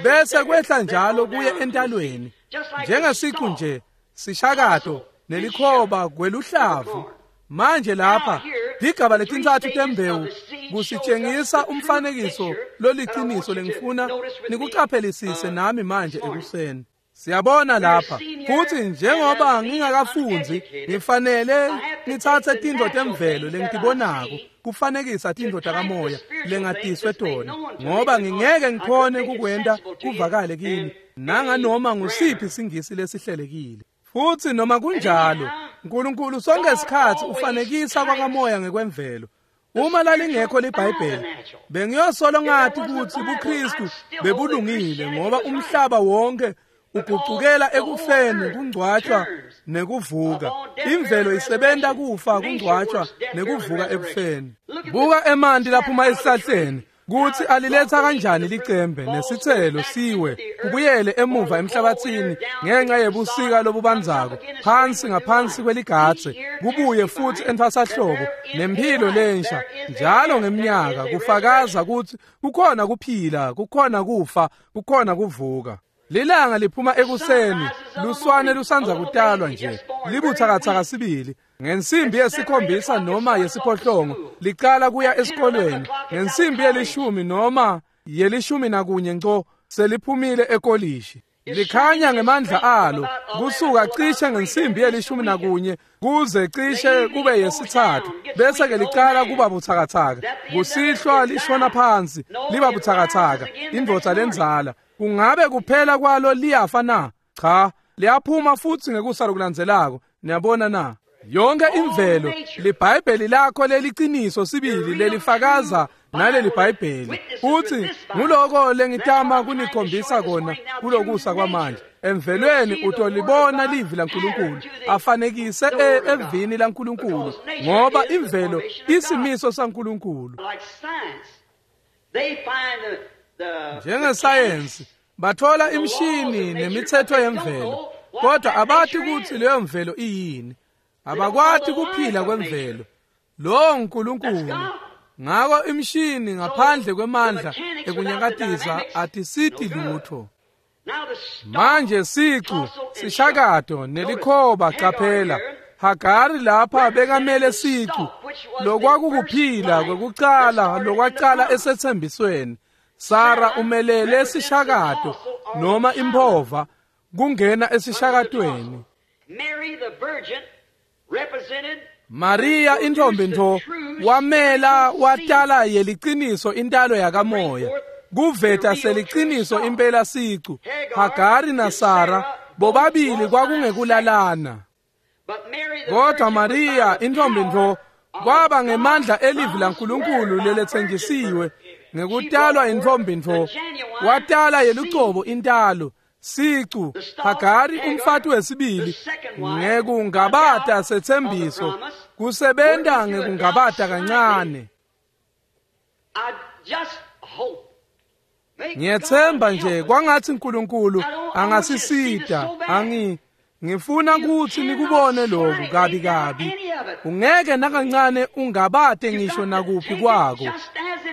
bese kwehla njalo kuye entalweni. Njengesicu nje, sishakato nelikhoba kweluhlavu. Manje lapha ligaba letintsatfu tembewu kusitshengisa umfanekiso loliciniso lengifuna nikucaphelisise nami manje ekuseni. Siyabona lapha futhi njengoba ngingakafundzi ngifanele ngitsatse tintfo temvelo lengitibonako kufanekisa tintfo takamoya lengatiswe tona, ngoba ngingeke ngikhone kukwenta kuvakale kini nanganoma ngusiphi singisi lesihlelekile. Futhi noma kunjalo, uNkulunkulu sonke isikhathi ufanekisa kwakamoya ngekwemvelo. Uma lalingekho liBhayibheli, bengiyosolo ngathi ukuthi buKristu bebulungile, ngoba umhlaba wonke ugucukela ekufeni, kungcwatshwa nekuvuka. Imvelo isebenta kufa, kungcwatshwa nekuvuka ekufeni. Buka emanti laphuma esihlahleni, kuthi aliletha kanjani licembe nesithelo siwe kubuyele emuva emhlabathini ngenxa yebusika lobubanzako, phansi ngaphansi kweligatse, kubuye futhi entfwasahlobo nemphilo lensha njalo ngeminyaka, kufakaza ukuthi kukhona kuphila, kukhona kufa, kukhona kuvuka. Lilanga liphuma ekuseni, luswane lusanza kutalwa nje, libuthakathaka sibili. Ngensimbi yesikhombisa noma yesiphohlongo licala kuya esikolweni, ngensimbi yelishumi noma yelishumi nakunye nco seliphumile ekolishi. Likhanya ngemandla alo kusuka cishe ngensimbi yelishumi nakunye kuze cishe kube yesithathu, bese ke licala kuba buthakathaka. Kusihlwa lishona phansi liba buthakathaka. Indvodza lenzala kungabe kuphela kwalo liyafa na? Cha, liyaphuma futhi ngekusa lokulandzelako. Niyabona na? Yonke imvelo, liBhayibheli lakho leliciniso sibili lelifakaza naleli Bhayibheli. Futhi nguloko lengitama kunikhombisa kona kulokusa kwamanje. Emvelweni utolibona livi laNkulunkulu afanekise evini laNkulunkulu, ngoba imvelo isimiso saNkulunkulu. Njengesayensi bathola imishini nemithetho yemvelo, kodwa abathi ukuthi leyo mvelo iyini. Abakwati kuphila kwemvelo. Lo uNkulunkulu. Ngako imishini ngaphandle kwemandla ekunyakatisa atisiti lutho. Manje sicu, sishakato nelikhoba, qaphela. Hagari lapha bekamele sicu, lokwakukuphila kwekucala lokwacala esethembisweni. Sara umelele sishakato noma imphova kungena esishakatweni. Maria intombi ntfo wamela watala yeliciniso intalo yakamoya, kuveta seliciniso impela sicu. Hagari naSara bobabili kwakungekulalana, kodwa Maria intombi ntfo kwaba ngemandla elivi laNkulunkulu leletsenjisiwe Ngekutalwa intfombi ntfo watala yelucobo intalo sicu Hagari umfati wesibili ngekungabata setsembiso kusebenta ngekungabata kancane. Ngiyethemba nje kwangathi uNkulunkulu angasisita. Ngifuna ukuthi nikubone lokhu kabi kabi. Ungeke nakancane ungabate ngisho nakuphi kwako.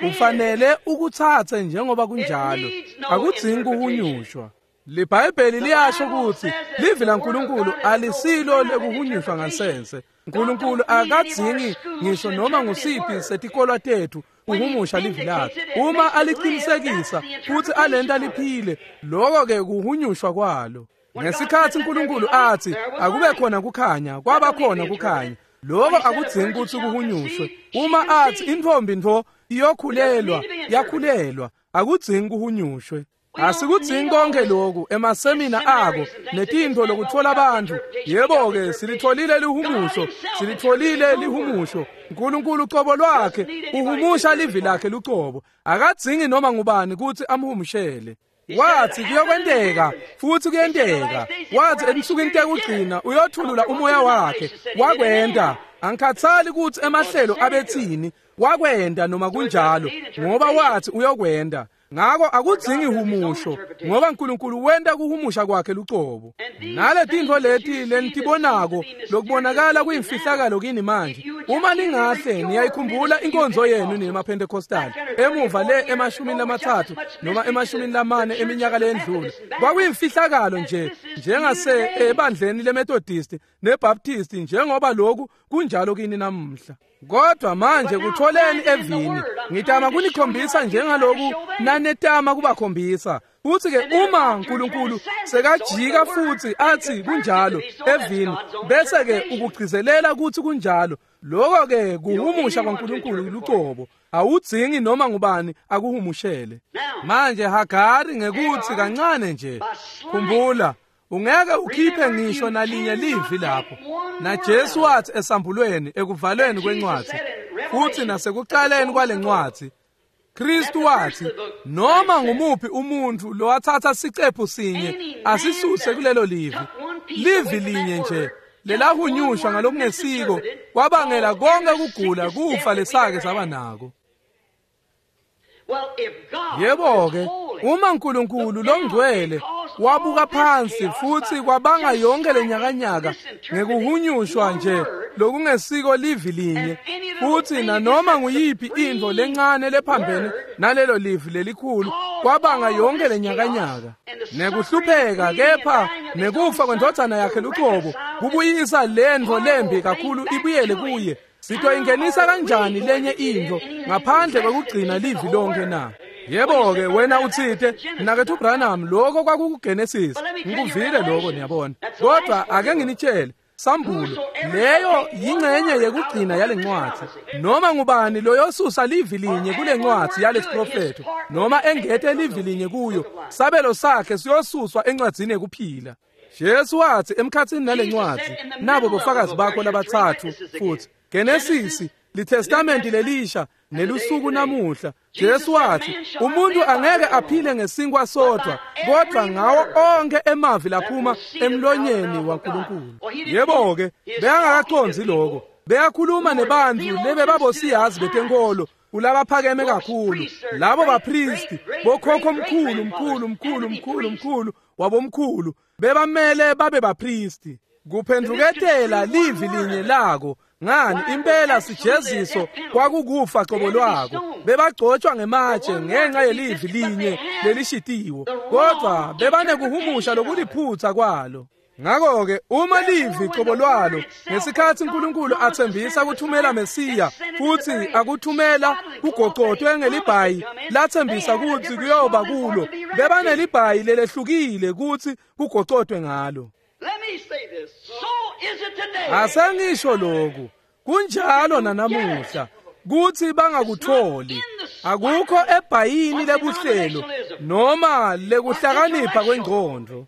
Ufanele ukuthathe njengoba kunjalo. Akudzingi kuhunyushwa. LiBhayibheli liyasho ukuthi livi laNkulunkulu alisilo lekuhunyushwa ngansense. uNkulunkulu akadzingi ngisho noma ngusiphi setikolwa tethu kuhumusha livi lakhe. Uma aliqinisekisa futhi alenta liphile, lokho ke kuhunyushwa kwalo. Ngesikhathi uNkulunkulu athi akube khona kukhanya, kwaba khona kukhanya. Lokho akudzingi ukuthi kuhunyushwe. Uma athi intfombi ntfo iyokhulelwa, yakhulelwa, akudzingi kuhunyushwe. Asikudzingi konke lokhu emasemina ako netintfo lokuthola abantu. Yebo-ke silitholile lihumusho, silitholile lihumusho. uNkulunkulu ucobo lwakhe uhumusha livi lakhe lucobo. Akadzingi noma ngubani ukuthi amhumushele. Wathi kuyokwenteka futhi kuyenteka. Wathi ensukwini tekugcina uyothulula umoya wakhe. Wakwenta. Angikhathali ukuthi emahlelo abethini, wakwenta noma kunjalo, ngoba wathi uyokwenta. Ngako akudzingi humusho ngoba uNkulunkulu wenta kuhumusha kwakhe lucobo. Nale tintfo leti lenitibonako lokubonakala kuyimfihlakalo kini manje, uma ningahle niyayikhumbula inkonzo yenu nemaPentecostal emuva le 30 noma 40 eminyaka lendlule, kwakuyimfihlakalo nje njengase ebandleni leMethodist neBaptist, njengoba lokhu kunjalo kini namuhla. Kodwa manje kutholeni evini, ngitama kunikhombisa njengaloku nanetama kubakhombisa. Futhi ke uma uNkulunkulu sekajika futhi athi kunjalo evini, bese ke ukugcizelela ukuthi kunjalo, lokho ke kuhumusha kwaNkulunkulu lucobo. Awudzingi noma ngubani akuhumushele. Manje Hagari ngekuthi kancane nje, khumbula ungeke ukhiphe ngisho nalinye livi lapho. Na Jesu wathi esambulweni ekuvalweni kwencwadi futhi nasekuqaleni kwalencwadi, Kristu wathi noma ngumuphi umuntu lowathatha sicephu sinye asisuse kulelo livi, livi linye nje lelahunyushwa ngalokungesiko, kwabangela konke kugula kufa lesake saba nako. Yebo-ke, uma uNkulunkulu longcwele wabuka phansi futhi kwabanga yonke lenyakanyaka ngekuhunyushwa nje lokungesiko livi linye, futhi nanoma nguyiphi intfo lencane lephambene nalelo livi lelikhulu, kwabanga yonke lenyakanyaka nekuhlupheka, kepha nekufa kwendvodzana yakhe lucobo kubuyisa lentfo lembi kakhulu ibuyele kuye. Sitoyingenisa kanjani lenye intfo ngaphandle kwekugcina livi lonke na? Yebo-ke wena utsite mnaketfu Branham, lokho kwakukuGenesis. Ngikuvile lokho, niyabona. Kodwa ake nginitshele, Sambulo leyo yingxenye yekugcina yale ncwadi. Noma ngubani loyosusa livi linye kule ncwadi yalesiprofetho noma engete livi linye kuyo, sabelo sakhe siyosuswa encwadzini yekuphila. Jesu wathi emkhatsini nale ncwadi, nabo bofakazi bakho labathathu futhi Genesis, liTestamenti lelisha nelusuku namuhla. Jesu wathi umuntu angeke aphile ngesinkwa sodwa, kodwa ngawo onke emavi laphuma emlonyeni waNkulunkulu. Yebo-ke, beyangakaqondzi lokho. Beyakhuluma nebantu lebebabosiyazi betenkolo kulabaphakeme kakhulu, labo bapristi bokhokho mkhulu mkhulu mkhulu mkhulu mkhulu wabomkhulu, bebamele babe bapristi. Kuphenduketela livi linye lako ngani impela sijeziso kwakukufa qobo lwako. Bebagcotshwa ngematshe ngenxa yelivi linye lelishitiwo, kodwa bebanekuhumusha lokuliphutha kwalo. Ngakho-ke uma livi qobo lwalo ngesikhathi uNkulunkulu athembisa kuthumela Mesiya futhi akuthumela kugocotwe ngelibhayi lathembisa ukuthi kuyoba kulo, bebanelibhayi lelehlukile ukuthi kugocotwe ngalo. Asengisho lokhu, kunjalo nanamuhla kuthi bangakutholi. Akukho ebhayini lebuhlelo noma lekuhlakanipha kwengqondo.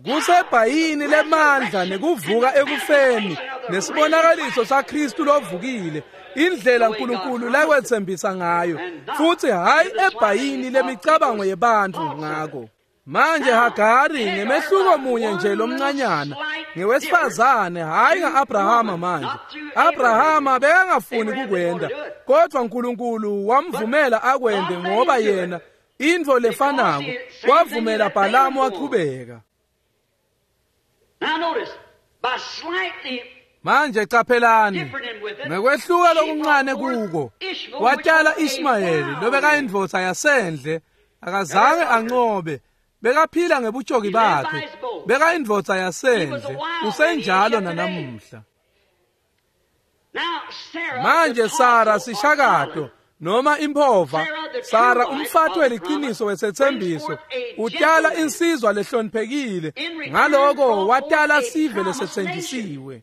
Kusebhayini lemandla nekuvuka ekufeni nesibonakaliso saKristu lovukile, indlela uNkulunkulu lakwethembisa ngayo, futhi hayi ebhayini lemicabango yebantfu ngako. Manje Hagari ngemehluko munye nje lomncanyana ngewesifazane, hayi nga-Abrahama. Manje Abrahama bekangafuni kukwenda, kodwa uNkulunkulu wamvumela akwende ngoba yena intfo lefanako wavumela Bhalamu wachubeka. Manje caphelani, ngekwehluka lokuncane kuko watala Ishmayeli lobekayindvodza yasendle. Akazange anqobe, bekaphila ngebutshoki bakhe, bekayindvodza yasendle, usenjalo nanamuhla. Manje Sara sishakato noma imphova, Sara umfati weliciniso wesethembiso, utala insizwa lehloniphekile, ngaloko watala sive lesetsenjisiwe.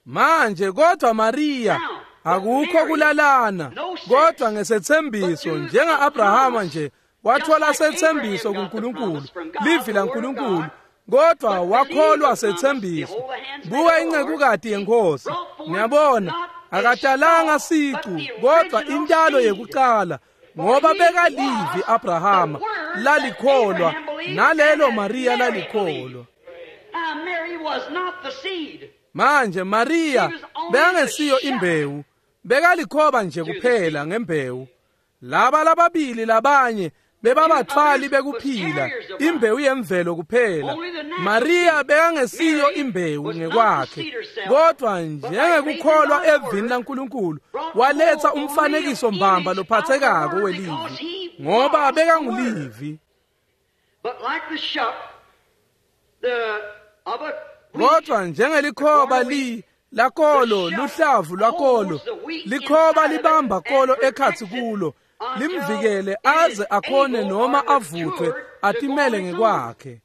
Manje kodwa Maria akukho kulalana, kodwa ngesethembiso njenga-Abrahama nje wathola sethembiso kuNkulunkulu, livi laNkulunkulu, kodwa wakholwa sethembiso. Buka incekukati yenkosi, ngiyabona akatalanga sicu kodwa intalo yekucala, ngoba bekalivi Abrahama lalikholwa nalelo Maria lalikholwa. Manje Maria bekangesiyo imbewu, bekalikhoba nje kuphela ngembewu. Laba lababili labanye bebabathwali bekuphila, imbewu yemvelo kuphela. Maria bekangesiyo imbewu ngekwakhe, kodwa njengekukholwa evini laNkulunkulu waletha umfanekiso mbamba lophathekako welivi, ngoba bekangulivi. Kodwa njengelikhoba li lakolo, luhlavu lwakolo, likhoba libamba kolo ekhatsi kulo, limvikele aze akhone noma avuthwe atimele ngekwakhe.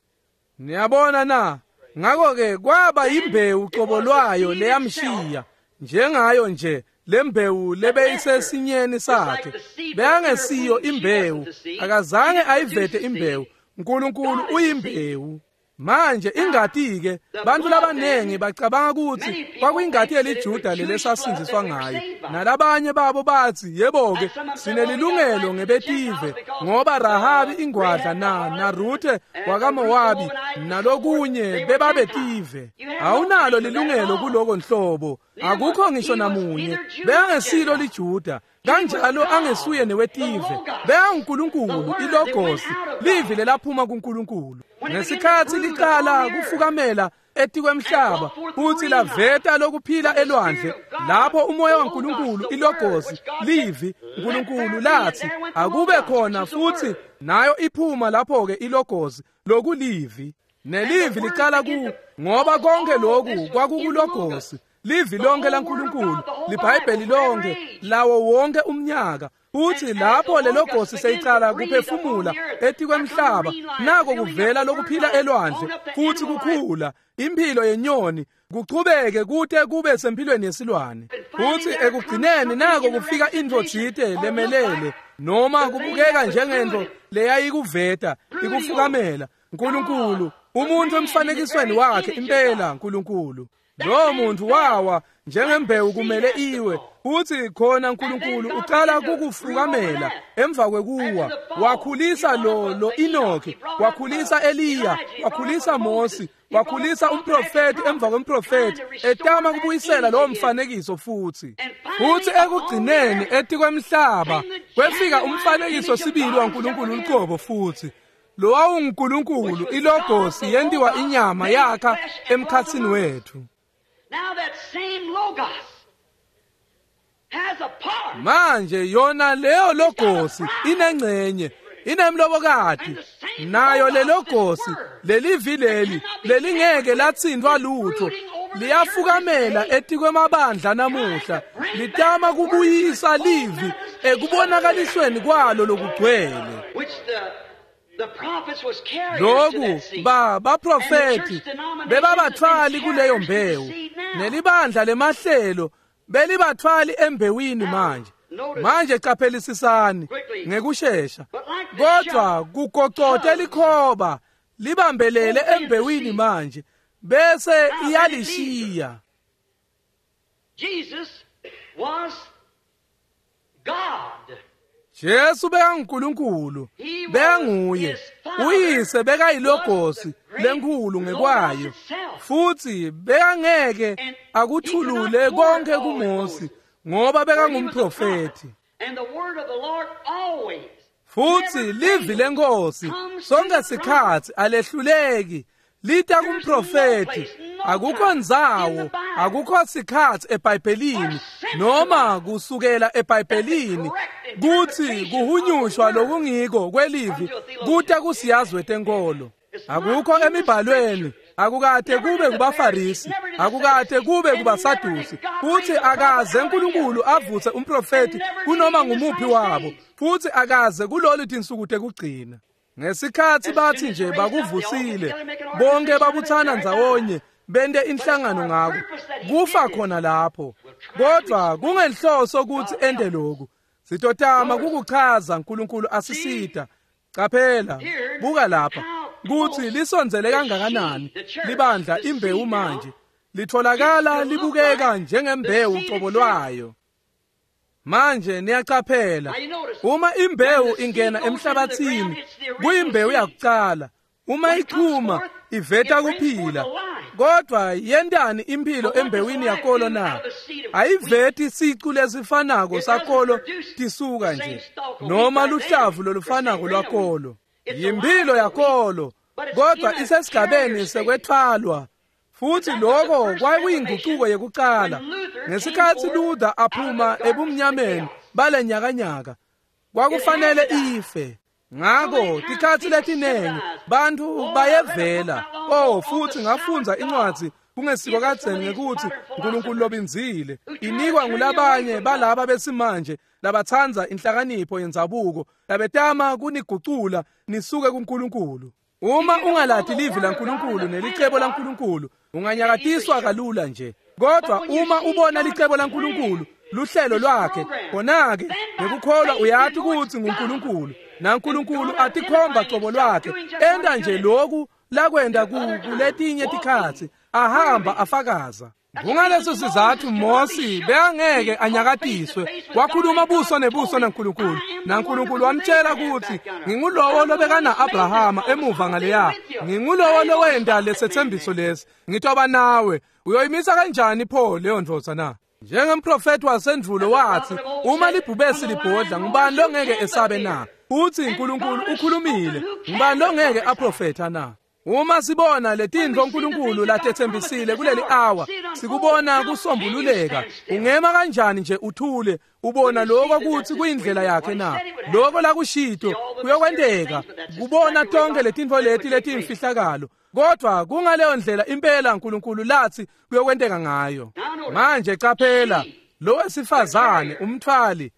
Niyabona na? Ngakho-ke kwaba imbewu qobo lwayo leyamshiya, njengayo nje lembewu lebeyisesinyeni sakhe. Bekangesiyo imbewu, akazange ayivete imbewu. uNkulunkulu uyimbewu. Manje ingati-ke, bantu labanengi bacabanga ukuthi kwakuyingati yeliJuda lelesasindziswa ngayo, nalabanye babo bathi yebo-ke sinelilungelo ngebetive ngoba Rahabi ingwadla na Ruthe wakaMowabi nalokunye bebabetive. Awunalo lilungelo kuloko nhlobo, akukho ngisho namunye. Bekangesilo liJuda, kanjalo angesuye newetive. BekanguNkulunkulu, ilogosi, livi lelaphuma kuNkulunkulu. Ngesikhathi liqala kufukamela etikwemhlaba futhi laveta lokuphila elwandle, lapho umoya waNkulunkulu, ilogosi, livi uNkulunkulu lathi akube khona, futhi nayo iphuma lapho-ke ilogosi lokulivi. Nelivi liqala ku, ngoba konke lokhu kwakukulogosi, livi lonke laNkulunkulu, liBhayibheli lonke lawo wonke umnyaka. Uthi lapho lelogosi seyicala kuphefumula etikwemhlaba, nako kuvela lokuphila elwandle futhi kukhula impilo yenyoni, kuchubeke kute kube sempilweni yesilwane. Futhi ekugcineni nako kufika intfo tsite lemelele noma kubukeka njengento leyayikuveta ikufukamela. Nkulunkulu, umuntu emfanekisweni wakhe impela Nkulunkulu. Lo muntu wawa njengembewu kumele iwe, futhi khona uNkulunkulu uqala kukufukamela emva kwekuwa. Wakhulisa lo Enoki, wakhulisa Eliya, wakhulisa Mose, wakhulisa umprofeti emva kwemprofeti, etama kubuyisela lowo mfanekiso futhi. Futhi ekugcineni etikwemhlaba kwefika umfanekiso sibili waNkulunkulu uqobo futhi. Lo wawunguNkulunkulu, ilogosi yentiwa inyama yakha emkhatsini wethu. Manje yona leyo logosi inengcenye, inemlobokati, nayo lelogosi lelivi leli lelingeke latsintfwa lutho liyafukamela etikwemabandla namuhla, litama kubuyisa livi ekubonakalisweni kwalo lokugcwele. Lokhu baprofeti bebabathwali kuleyo mbewu, nelibandla lemahlelo belibathwali embewini. Manje qaphelisisani ngekushesha, kodwa kugocote likhoba Libambelele embewini manje bese iyalishiya. Jesus was God. Jesu bekanguNkulunkulu, bekanguye. Uyise bekayilogosi lenkhulu ngekwayo, futhi bekangeke akuthulule konke kuMose ngoba bekangumprofeti. And the word of the Lord always Futhi livi lenkosi sonke sikhathi alehluleki lita kumprofeti. Akukho ndzawo, akukho sikhathi eBhayibhelini noma kusukela eBhayibhelini kuthi kuhunyushwa lokungiko kwelivi kuta kusiyazi wetenkolo. Akukho emibhalweni, akukade kube kubaFarisi, akukade kube kubaSadusi, futhi akaze uNkulunkulu avuse umprofeti kunoma ngumuphi wabo, futhi akaze kulolu tinsuku tekugcina. Ngesikhathi bathi nje bakuvusile, bonke babuthana ndzawonye bente inhlangano ngako, kufa khona lapho. Kodwa kungenhloso ukuthi ende lokhu. Sitotama kukuchaza uNkulunkulu asisita. Qaphela, buka lapha kuthi lisondzele kangakanani libandla imbewu manje litholakala libukeka njengembewu qobo lwayo. Manje niyaqaphela, uma imbewu ingena emhlabathini kuyimbewu yakuqala. Uma ichuma iveta kuphila, kodwa yentani impilo embewini yakolo na? Ayiveti sicu lesifanako sakolo tisuka nje noma luhlavu lolufanako lwakolo. Yimpilo yakolo, kodwa isesigabeni sekwethwalwa. Futhi lokho kwakuyinguquko yekuqala ngesikhathi Luther aphuma ebumnyameni balenyakanyaka, kwakufanele ife. Ngakho tikhathi letinengi bantu bayevela. Oh, futhi ngafundza incwadi kungesiko kadzeni ngekuthi uNkulunkulu lobinzile inikwa ngulabanye balaba besimanje labathandza inhlakanipho yendzabuko, labetama kunigucula nisuke kuNkulunkulu. Uma ungalati livi laNkulunkulu nelicebo laNkulunkulu, unganyakatiswa kalula nje. Kodwa uma ubona licebo laNkulunkulu, luhlelo lwakhe, khona-ke ngekukholwa uyati ukuthi nguNkulunkulu, naNkulunkulu atikhomba cobo lwakhe, enta nje lokhu lakwenta kuletinye tikhatsi, ahamba afakaza. Kungaleso sizathu Mosi bekangeke anyakatiswe, wakhuluma buso nebuso naNkulunkulu, naNkulunkulu wamtshela ukuthi ngingulowo lobekana Abrahama emuva ngaleya, ngingulowo lowenda lesethembiso lesi, ngitoba nawe. Uyoyimisa kanjani pho leyo ndvodza na? Njengemprofeti wasendvulo wathi, uma libhubesi libhodla, ngubani longeke esabe na? Uthi uNkulunkulu ukhulumile, ngubani longeke aprofetha na? Uma sibona letintfo uNkulunkulu latethembisile kuleli hour, sikubona kusombululeka, ungema kanjani nje uthule ubona lokho kuthi kuyindlela yakhe na? Lokho lakushito kuyokwenteka, kubona tonke letintfo leti letimfihlakalo, kodwa kungaleyo ndlela impela uNkulunkulu lathi kuyokwenteka ngayo. Manje qaphela, lo wesifazane umthwali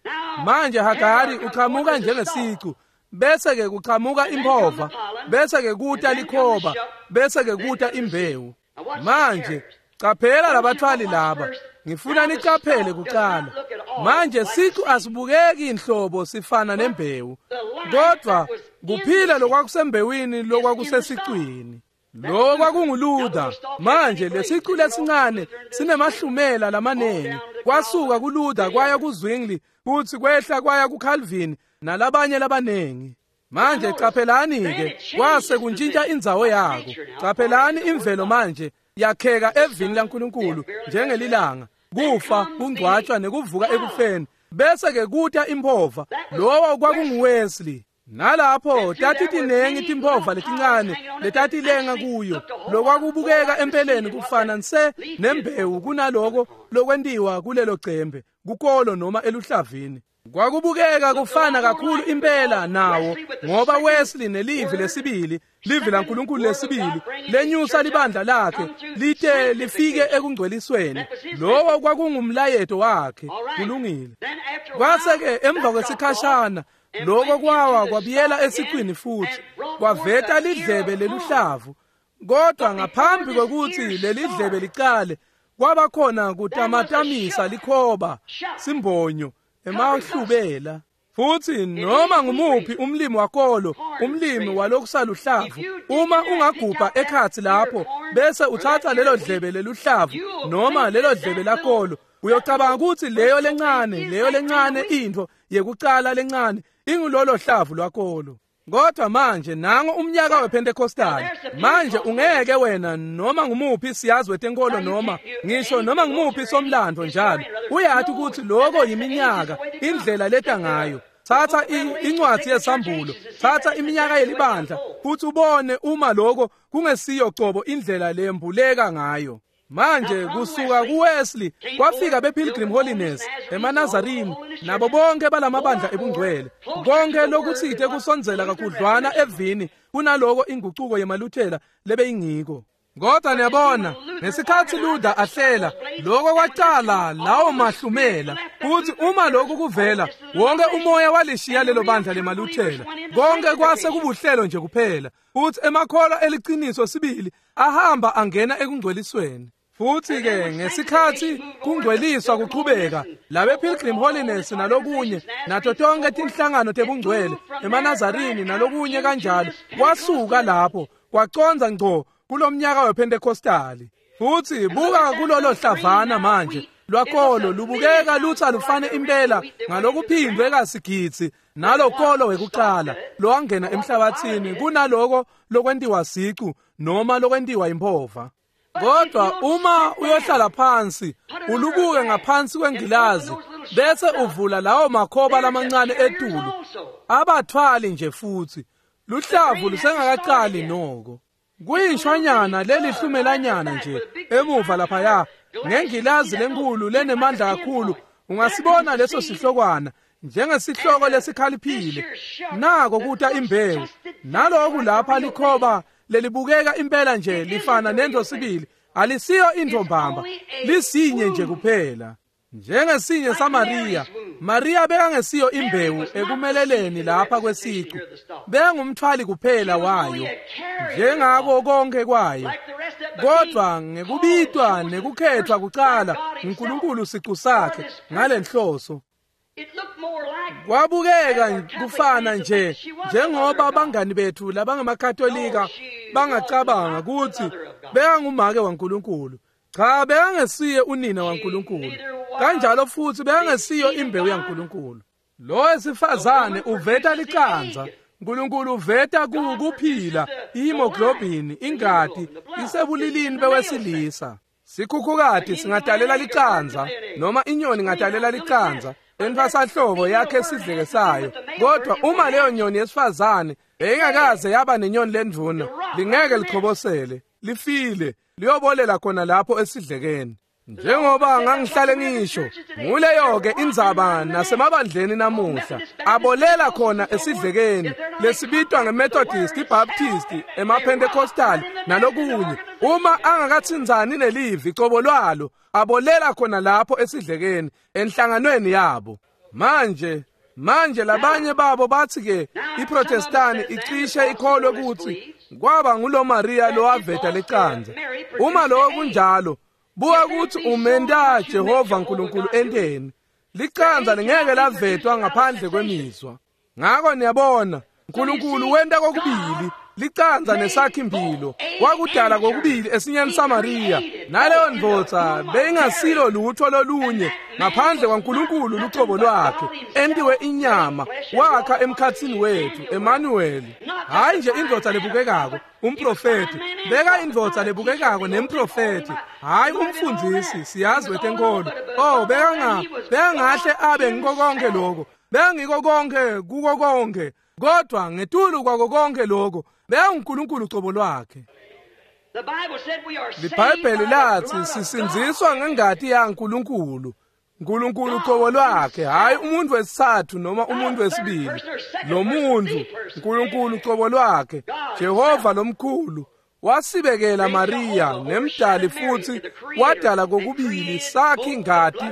manje Hagari uqhamuka njengesicu, bese ke kuqhamuka imphova, bese ke kuta likhoba, bese ke kuta imbewu. Manje qaphela labathwali laba, ngifuna niqaphele kuqala. Manje sicu asibukeki inhlobo sifana nembewu, kodwa kuphila lokwakusembewini lokwakusesicwini. Lo kwakunguLuther. Manje lesicu lesincane sinemahlumela lamanengi, kwasuka kuLuther kwaya kuZwingli, futhi kwehla kwaya kuCalvin nalabanye labanengi. Manje qaphelani-ke, kwase kuntshintsha indzawo yako. Qaphelani imvelo manje yakheka evini laNkulunkulu njengelilanga, kufa, kungcwatshwa nekuvuka ekufeni, bese ke kuta imphova. Lowo kwakunguWesley. Nalapho tathi tinengi timphova letincane letatilenga kuyo, lokwakubukeka empeleni kufana nse nembewu kunaloko lokwentiwa kulelo cembe kukolo noma eluhlavini. Kwakubukeka kufana kakhulu impela nawo, ngoba Wesley nelivi lesibili, livi laNkulunkulu lesibili, lenyusa libandla lakhe lite lifike ekungcwelisweni. Lowo kwakungumlayeto wakhe. Kulungile. Kwase-ke emva kwesikhashana lokho kwawa kwabuyela esiqwini futhi kwaveta lidlebe leluhlavu. Kodwa ngaphambi kwekuthi lelidlebe licale, kwaba khona kutamatamisa likhoba simbonyo emahlubela. Futhi noma ngumuphi umlimi wakolo, umlimi walokusaluhlavu, uma ungagubha ekhathi lapho bese uthatha lelo dlebe leluhlavu noma lelo dlebe lakolo, uyocabanga ukuthi leyo lencane into yekucala lencane ingulolo hlavu lwakolo. Kodwa manje nango umnyaka wePentecostal. Manje ungeke wena noma ngumuphi siyazi wetenkolo noma ngisho noma ngumuphi somlando njalo uyathi ukuthi lokho yiminyaka indlela leta ngayo. Thatha incwadi yesambulo, thatha iminyaka yelibandla futhi ubone uma lokho kungesiyo cobo indlela lembuleka ngayo. Manje kusuka kuWesley kwafika bePilgrim Holiness, emaNazarini, nabo bonke balamabandla ebungcwele. Konke lokuthithe kusondzela kakhudlwana evini kunaloko inguquko yemaluthela lebeyingiko. Kodwa niyabona, ngesikhathi Luther ahlela, lokho kwaqala lawo mahlumela. Futhi uma lokhu kuvela, wonke umoya walishiya lelo bandla lemaluthela. Konke kwase kubuhlelo nje kuphela. Futhi emakholwa eliqiniso sibili ahamba angena ekungcwelisweni. Futhi ke ngesikhathi kungcweliswa kuqhubeka, labe Pilgrim Holiness nalokunye nato tonke tinhlangano tebungcwele emaNazarini nalokunye kanjalo kwasuka lapho kwaconza ngco kulomnyaka wePentecostali. Futhi buka kulolo hlavana manje lwakolo lubukeka lutha lufane impela ngalokuphindwe kasigidzi nalokolo wekuqala lowangena emhlabathini kunaloko lokwentiwa sicu noma lokwentiwa impova. Kodwa uma uyohlala phansi ulubuke ngaphansi kwengilazi bese uvula lawo makhoba lamancane etulu, abathwali nje futhi luhlavu lusengakaqali noko. Kuyishwanyana lelihlumelanyana nje emuva laphaya ngengilazi lenkulu lenemandla kakhulu ungasibona leso sihlokwana njengesihloko lesikhaliphile. Nako kuta imbewu naloku lapha likhoba lelibukeka impela nje lifana nento sibili, alisiyo intombamba, lisinye nje kuphela. Njengesinye saMaria, Maria bekangesiyo imbewu ekumeleleni lapha kwesicu, bekangumthwali kuphela wayo njengako konke kwayo. Kodwa ngekubitwa nekukhethwa kucala uNkulunkulu sicu sakhe ngalenhloso, kwabukeka kufana nje njengoba abangani bethu labangamakatolika bangacabanga ukuthi bekangumake waNkulunkulu. Cha, bekangesiye unina waNkulunkulu, kanjalo futhi bekangesiyo imbewu yaNkulunkulu. Lo wesifazane uveta licanza, uNkulunkulu uveta kuphila, ihemoglobin, ingati isebulilini bewesilisa. Sikhukhukati singadalela licanza noma inyoni ingadalela licanza entfasahlobo yakhe sidleke sayo, kodwa uma leyo nyoni yesifazane beyingakaze yaba nenyoni lendvuna, lingeke lichobosele, lifile, liyobolela khona lapho esidlekeni. Njengoba ngangihlale ngisho, nguleyo ke indzaba nasemabandleni namuhla, abolela khona esidlekeni lesibitwa ngeMethodist, iBaptist, emaPentecostal nalokunye. Uma angakathinzani nelivi cobo lwalo, abolela khona lapho esidlekeni enhlanganweni yabo. Manje labanye babo bathi ke iProtestani icishe ikholwe ukuthi kwaba ngulo Maria lowaveta lecanza. Uma lokho kunjalo, buka ukuthi umenta Jehova uNkulunkulu enteni. Licanza lingeke lavetwa ngaphandle kwemizwa. Ngakho niyabona, uNkulunkulu wenta kokubili, licanza nesakhimpilo. Wakudala kokubili esinyeni saMaria, naleyo ndvodza beyingasilo lutho lolunye ngaphandle kwaNkulunkulu lucobo lwakhe, entiwe inyama, wakha emkhathini wethu, Emmanuel. Hayi nje indvodza lebukekako, umprofeti, beka indvodza lebukekako nemprofeti, hayi umfundisi, siyazi wetenkolo. Oh, bekangahle abe ngiko konke lokho, bekangiko konke kuko konke, kodwa ngetulu kwako konke lokho bekanguNkulunkulu cobo lwakhe. LiBhayibheli lathi sisindziswa ngengati yaNkulunkulu, uNkulunkulu cobo lwakhe, hayi umuntu wesithathu noma umuntu wesibili. Lo muntu uNkulunkulu cobo lwakhe, Jehova lomkhulu, wasibekela Maria nemdali futhi wadala kokubili sakhe ingati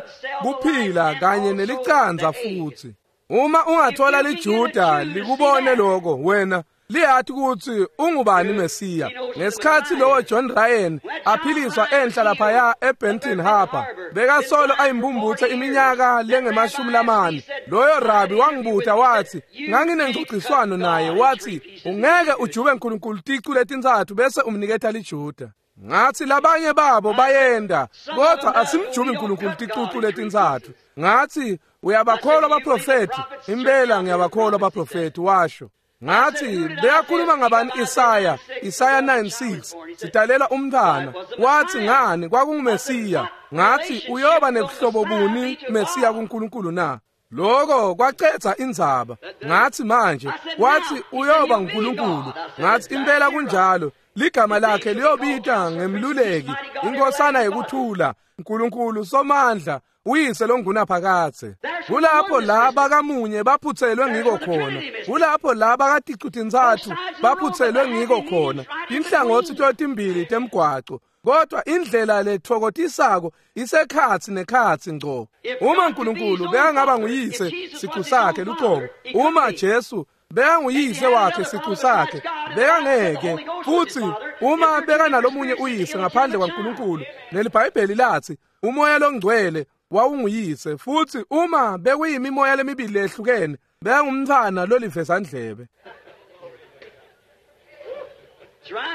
kuphila kanye nelicanza futhi. Uma ungathola liJuda likubone lokho, wena Liyati kutsi ungubani Mesiya. Ngesikhatsi lowo John Ryan aphiliswa enhla laphaya eBenton Harbor, bekasolo ayimbumbutse iminyaka lengama-40. Loyo rabi wangibuta wathi, nganginengxoxiswano naye, wathi ungeke ujube uNkulunkulu ticu letintsatfu bese umniketa liJuda. Ngathi labanye babo bayenda, kodwa asimjubi uNkulunkulu ticucu letintsatfu. Ngathi uyabakholwa abaprofeti? Impela ngiyabakholwa abaprofeti, washo. Ngathi beyakhuluma ngabani Isaya, Isaya 9:6, sidalela umntwana. Wathi ngani kwakunguMesiya. Ngathi uyoba nebuhlobo buni Mesiya kuNkulunkulu na? Lokho kwacetha indzaba. Ngathi manje, wathi uyoba nguNkulunkulu. Ngathi impela kunjalo. Ligama lakhe liyobita ngemluleki, inkosana yekuthula, uNkulunkulu somandla, uyise longunaphakadze. Kulapho laba kamunye baphutselwe ngiko khona. Kulapho laba katicu-tintsatfu baphutselwe ngiko khona. Inhlangothi totimbili temgwaco. Kodwa indlela lethokotisako isekhatsi nekhatsi ngco. Uma uNkulunkulu bekangaba nguyise sicu sakhe luqobo, uma Jesu bekanguyise wakhe sicu sakhe, bekangeke. Futhi uma bekanalomunye uyise ngaphandle kwaNkulunkulu, neliBhayibheli lathi umoya longcwele wawunguyise, futhi uma bekuyimimoya lemibili lehlukene, bekangumntfwana lolivezandlebe.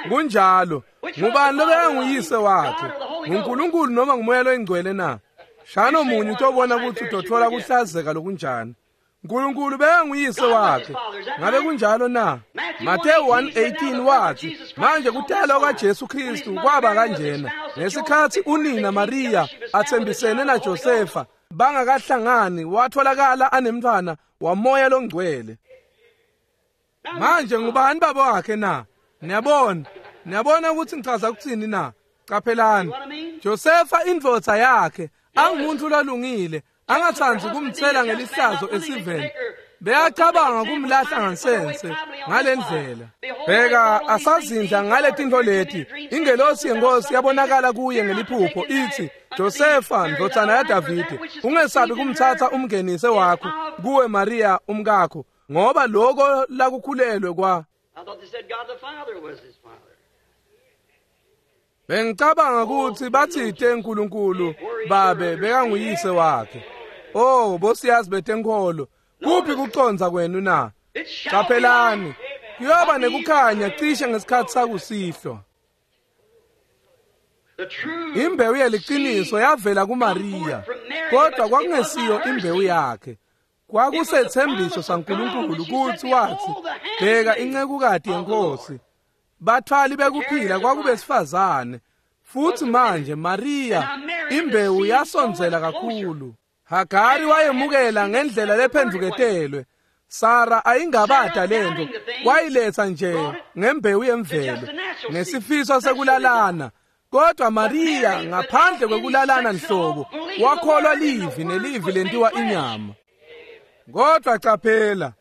Kunjalo. Ngubani lobekanguyise wakhe? NguNkulunkulu noma ngumoya loyingcwele na? Shano munye utobona ukuthi utothola kuhlazeka lokunjani. uNkulunkulu bekanguyise wakhe. Ngabe kunjalo na? Mateyu 1:18 wathi, manje kutalwa kwaJesu Kristu kwaba kanjena. Ngesikhathi unina Maria athembisene naJosefa, bangakahlangani, watholakala anemntwana wamoya longcwele. Manje ngubani baba wakhe na? Niyabona? Niyabona ukuthi ngichaza ukuthini na? Qaphelani. Josefa indvodza yakhe angumuntu lolungile, angathandi kumthela ngelihlazo esiveni. Beyacabanga kumlahla ngansense ngalendlela. Bheka asazindla ngale tinto leti. Ingelosi yenkosi yabonakala kuye ngeliphupho ithi, Josefa ndvodzana yaDavide, ungesabi kumthatha umngenise wakho kuwe Maria umkakho, ngoba lokho lakukhulelwe kwa. Bengicabanga ukuthi bathite uNkulunkulu babe bekanguyise wakhe. Oh, bosiyazi betenkholo, kuphi kuconza kwenu na? Qaphelani, kuyoba nekukhanya cishe ngesikhathi sakusihlwa. Imbewu yeliqiniso yavela kuMaria, kodwa kwakungesiyo imbewu yakhe. Kwakusethembiso saNkulunkulu kuthi wathi, bheka incekukati yenkosi. Bathwali bekuphila kwakubesifazane. Futhi manje Maria imbewu yasondzela kakhulu. Hagari wayemukela ngendlela lephenduketelwe. Sara ayingabada lento, wayiletha nje ngembewu yemvelo, ngesifiso sekulalana. Kodwa Maria ngaphandle kwekulalana nhlobo, wakholwa livi nelivi lentiwa inyama. Kodwa qaphela,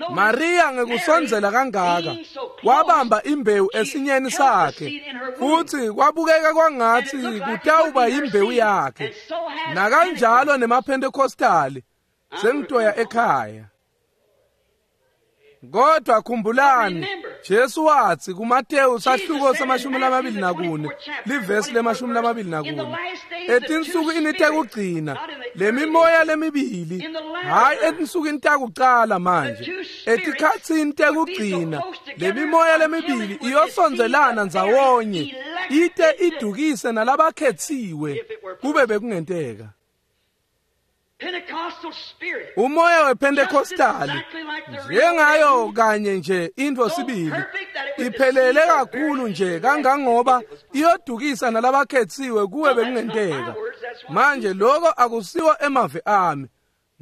Maria ngekusondzela kangaka wabamba imbewu esinyeni sakhe, futhi kwabukeka kwangathi kutawuba imbewu yakhe. Nakanjalo nemaPentecostali sengitoya ekhaya. Kodwa khumbulani, Jesu wathi kuMateyu sahluko sama-24 livesi le-24, etinsukwini tekugcina lemimoya lemibili, hayi etinsukwini takucala manje, etikhatsini tekugcina lemimoya lemibili iyosondzelana ndzawonye ite idukise nalabakhetsiwe kube bekungenteka. Umoya wePentecostali njengayo kanye nje into sibili iphelele kakhulu nje kangangoba iyodukisa nalabakhetsiwe kuwe bekungenteka. Manje lokho akusiwo emavi ami,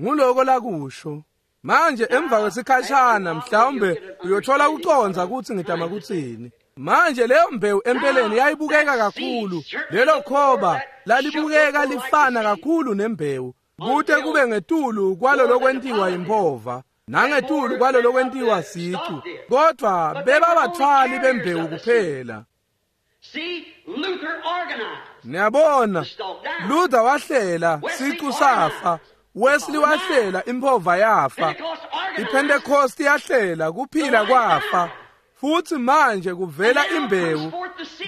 nguloko lakusho. Manje emva kwesikhashana mhlawumbe uyothola kuconza ukuthi ngidama kutsini. Manje leyo mbewu empeleni yayibukeka kakhulu, lelo khoba lalibukeka lifana kakhulu nembewu, kute kube ngetulu kwalo lokwentiwa impova nangetulu kwalo lokwentiwa sicu, kodwa bebabathwali bembewu kuphela. Niyabona, Luther wahlela, sicu safa. Wesley wahlela, impova yafa. IPentecost yahlela, kuphila kwafa. Futhi manje kuvela imbewu,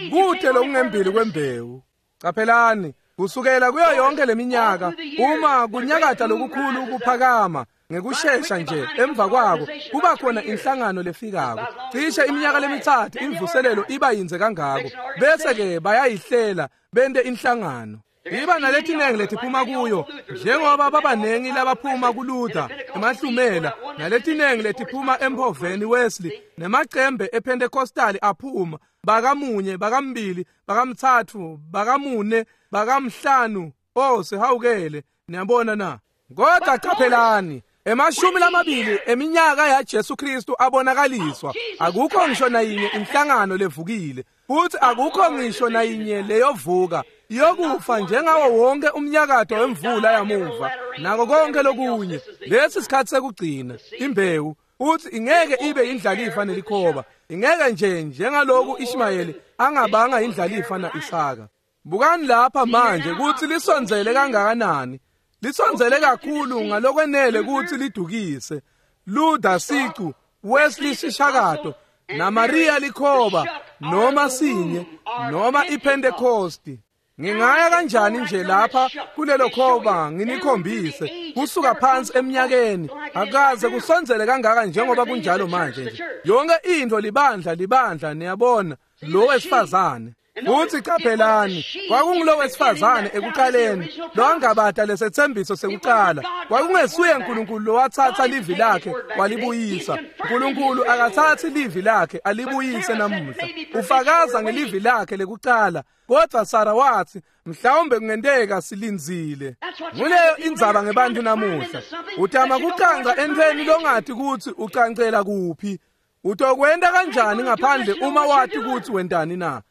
kute lokungembili kwembewu. Qaphelani, kusukela kuyo yonke leminyaka uma kunyakatha lokukhulu kuphakama ngekushesha nje emva kwako kuba khona inhlangano lefikako. Cishe iminyaka lemithathu imvuselelo iba yinze kangako, bese-ke bayayihlela bente inhlangano. Iba naletinengi letiphuma kuyo, njengoba babanengi labaphuma kuLuther emahlumela, naletinengi letiphuma emphoveni Wesley, nemacembe ePentecostal aphuma, bakamunye, bakambili, bakamthathu, bakamune, bakamhlanu. Oh, sihawukele, niyabona na? Kodwa qaphelani, 20 eminyaka yaJesu Kristu abonakaliswa. Akukho ngisho nayinye inhlangano levukile, futhi akukho ngisho nayinye leyovuka. Iyokufa njengawo wonke umnyakato wemvula yamuva nako konke lokunye. Lesi sikhathi sekugcina imbewu, futhi ingeke ibe indlalifa nelikhoba. Ingeke nje njengaloku Ishmayeli angabanga indlalifa na-Isaka. Bukani lapha manje ukuthi lisondzele kangakanani. Lisondzele kakhulu ngalokwenele ukuthi lidukise Luther sicu, Wesley sishakato, naMaria likhoba, noma sinye, noma iPentecosti. Ngingaya kanjani nje lapha kulelo khoba nginikhombise kusuka phansi eminyakeni akaze kusondzele kangaka njengoba kunjalo manje nje. Yonke into libandla libandla, niyabona lo wesifazane. Futhi qaphelani, kwakungulo wesifazane ekuqaleni lowangabata lesethembiso sekuqala. Kwakungesuye uNkulunkulu lowathatha livi lakhe walibuyisa. uNkulunkulu akathathi livi lakhe alibuyise namuhla. Ufakaza ngelivi lakhe lekuqala. Kodwa Sara wathi, mhlawumbe kungenteka silindzile. Nguleyo indzaba ngebantu namuhla. Utama kucanca entweni longathi ukuthi ucancela kuphi. Utokwenta kanjani ngaphandle uma wati ukuthi wentani na?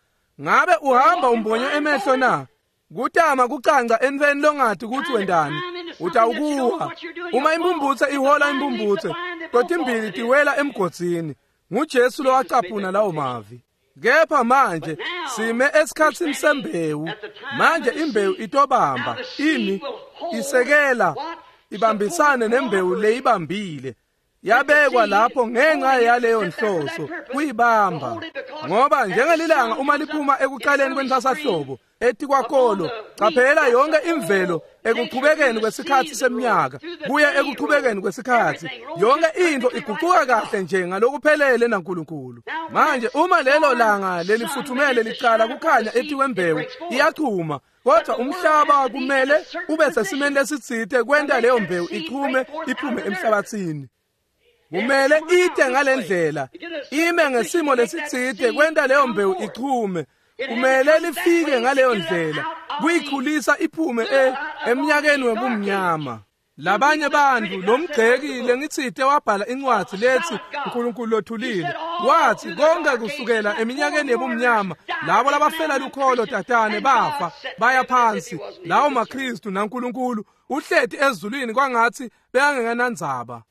Ngabe uhamba umbonye emehlo na? Kutama kucanca entweni longathi ukuthi wentani. Utawukuwa. Uma impumputse ihola impumputse, totimbili tiwela emgodzini. NguJesu lowacaphuna lawo mavi. Kepha manje sime esikhatsini sembewu. Manje imbewu itobamba ini isekela ibambisane nembewu leyibambile. Yabekwa lapho ngenxa yaleyo nhloso kuyibamba, ngoba njengelilanga uma liphuma ekuqaleni kwenthasahlobo etikwakolo, qaphela yonke imvelo ekuqhubekeni kwesikhathi seminyaka kuye ekuqhubekeni kwesikhathi, yonke into iguquka kahle nje ngalokuphelele naNkulunkulu. Manje uma lelo langa lelifuthumele liqala kukhanya etikwembewu, iyachuma. Kodwa umhlaba kumele ube sesimeni lesitsite kwenta leyo mbewu ichume iphume emhlabathini. Kumele ite ngalendlela, ime ngesimo lesitsite kwenta leyo mbewu ichume. Kumele lifike ngaleyo ndlela kuyikhulisa iphume eminyakeni webumnyama. Labanye bantu lomgceki lengitsite wabhala incwadi lethi uNkulunkulu lothulile, wathi konke kusukela eminyakeni yebumnyama labo labafela lukholo tatane bafa baya phansi. Lawo maKristu naNkulunkulu uhleti ezulwini kwangathi bekangenandzaba.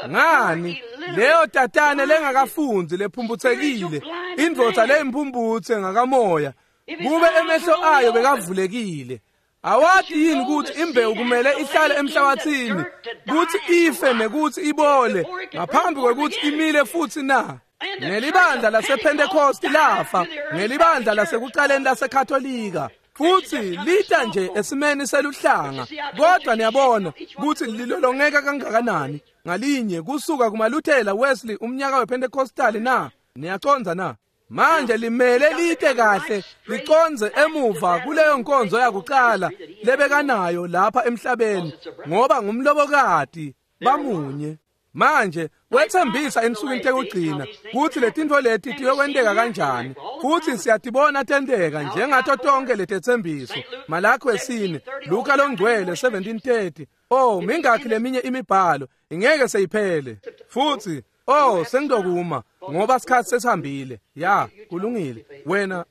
Ngani leyo tatane lengakafundi lephumputhekile, indvodza leyimpumputhe ngakamoya, kube emehlo ayo bekavulekile. Awati yini ukuthi imbewu kumele ihlale emhlabathini kuthi ife nekuthi ibole ngaphambi kwekuthi imile futhi na? Nelibandla lasePentecost lafa, nelibandla lasekuqaleni laseKatolika futhi lita nje esimeni seluhlanga. Kodwa niyabona ukuthi lilolongeka kangakanani ngalinye kusuka kumaLuthela, Wesley, umnyaka wePentecostal na? Niyaconza na? Manje limele lite kahle liconze emuva kuleyo nkonzo yakuqala lebekanayo lapha emhlabeni, ngoba ngumlobokati bamunye. Manje wethembisa ensukwini tekugcina kuthi letintfo leti tiyokwenteka kanjani, futhi siyatibona tenteka njengato tonke letethembiso. Malaki 4, Luka longcwele 17:30. Oh, mingakhi leminye imibhalo ingeke seyiphele. Futhi oh, sengidokuma ngoba sikhathi sesihambile. Ya, kulungile.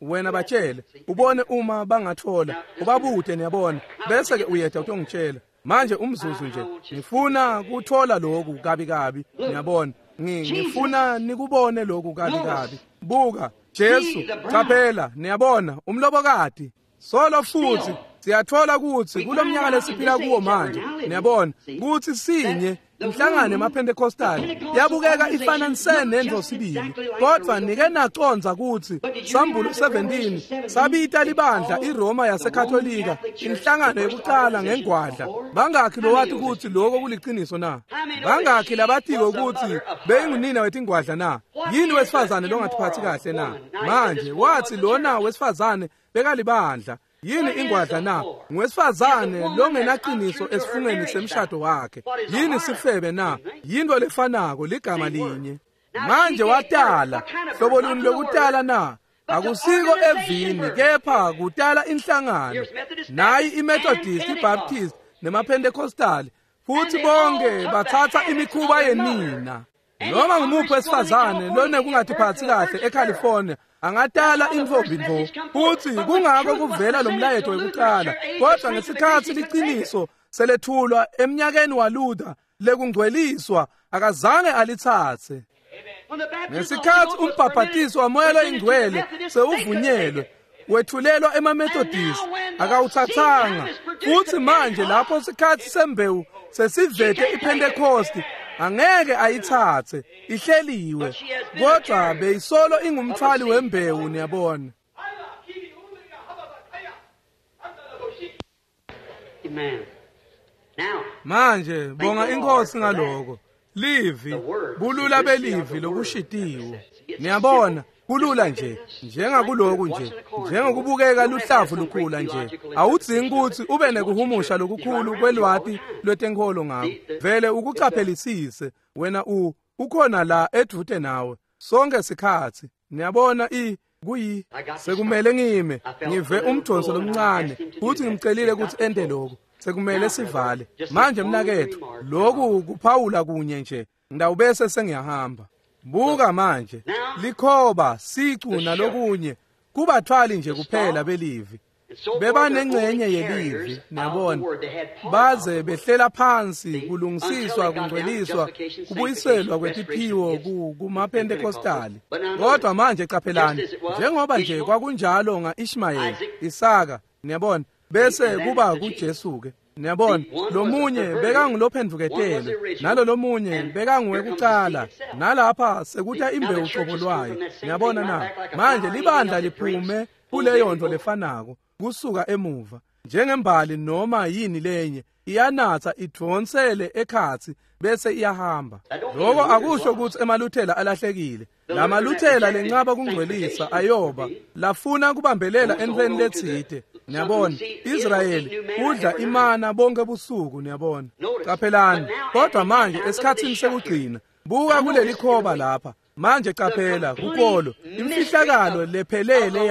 Wena batshele, ubone uma bangathola, ubabude niyabona, bese ke uyeda utongitshela. Manje umzuzu nje, ngifuna kuthola lokhu kabi kabi, niyabona. Ngifuna nikubone lokhu kabi kabi. Buka, Jesu, qaphela, niyabona, umlobokati. Solo futhi siyathola ukuthi kulomnyaka lesiphila kuwo manje, niyabona, ukuthi sinye Inhlangano yemaPentecostal yabukeka ifana nse nendvo sibili, kodwa nike naconza kutsi Sambulo 17 sabita libandla iRoma yaseKatolika inhlangano yekucala ngengwadla. Bangakhi lowati kutsi lokho kuliciniso na? Bangakhi labatiko kutsi beyingunina wetingwadla na? Yini wesifazane longatiphathi kahle na? Manje wathi lona wesifazane bekalibandla. Yini ingwadla na? Ngwesifazane longenaqiniso esifungeni semshado wakhe. Yini sifebe na? Yinto lefanako, ligama linye. Manje watala hlobo luni lokutala na? Akusiko evini, kepha kutala inhlangano. Nayi iMethodist, iBaptist nemaPentecostal, futhi bonke bathatha imikhuba yenina. Noma ngumuphi wesifazane lonekungatiphathi kahle eCalifornia angatala intfombi ntfo, futhi kungako kuvela lo mlayeto wekucala. Kodwa ngesikhatsi liciniso selethulwa emnyakeni waLuther lekungcweliswa, akazange alitsatse. Ngesikhatsi umbhabhatiso waMoya loyiNgcwele sewuvunyelwe, wethulelwa emaMethodist, akawutsatsanga. Futhi manje lapho sikhatsi sembewu sesivete iPentecost, angeke ayitsatse, ihleliwe. Kodwa beyisolo ingumthwali wembewu, niyabona. Manje bonga iNkosi ngaloko. Livi, bulula belivi lokushitiwe. Niyabona, kulula nje, njengakuloku nje, njengokubukeka luhlavu lukhula nje. Awudzingi kutsi ube nekuhumusha lokukhulu kwelwati lwetenkholo ngako. Vele ukucaphelisise, wena ukhona la edvute nawe sonke sikhatsi. Niyabona kuyi sekumele ngime ngive umdonso lomncane, futhi ngimcelile kutsi ente lokho. Sekumele sivale manje mnaketfu, lokhu kuphawula kunye nje, ngidawubese sengiyahamba. Buka manje, likhoba, sicu nalokunye kubathwali nje kuphela belivi. Bebanengcenye yelivi, niyabona, baze behlela phansi kulungisiswa, kungcweliswa, kubuyiselwa kwetiphiwo kumaPentecostali. Kodwa manje caphelani, njengoba nje kwakunjalo nga-Ishmayeli, Isaka, niyabona, bese kuba kuJesu ke. Niyabona, lomunye bekangulophendvuketele, nalo lomunye bekanguwekucala, nalapha sekuta imbewu cobo lwayo. Niyabona na? Manje libandla liphume kuleyo nto lefanako kusuka emuva, njengembali noma yini lenye, iyanatsa idvonsele ekhatsi bese iyahamba. Lokho akusho ukuthi emaluthela alahlekile. Lamaluthela lencaba kungcwelisa ayoba lafuna kubambelela entweni letsite. Niyabona, Israyeli udla imana bonke busuku, niyabona. Caphelani, kodwa manje esikhatsini sekugcina, buka kuleli khoba lapha. Manje qaphela kukolo, imfihlakalo lephelele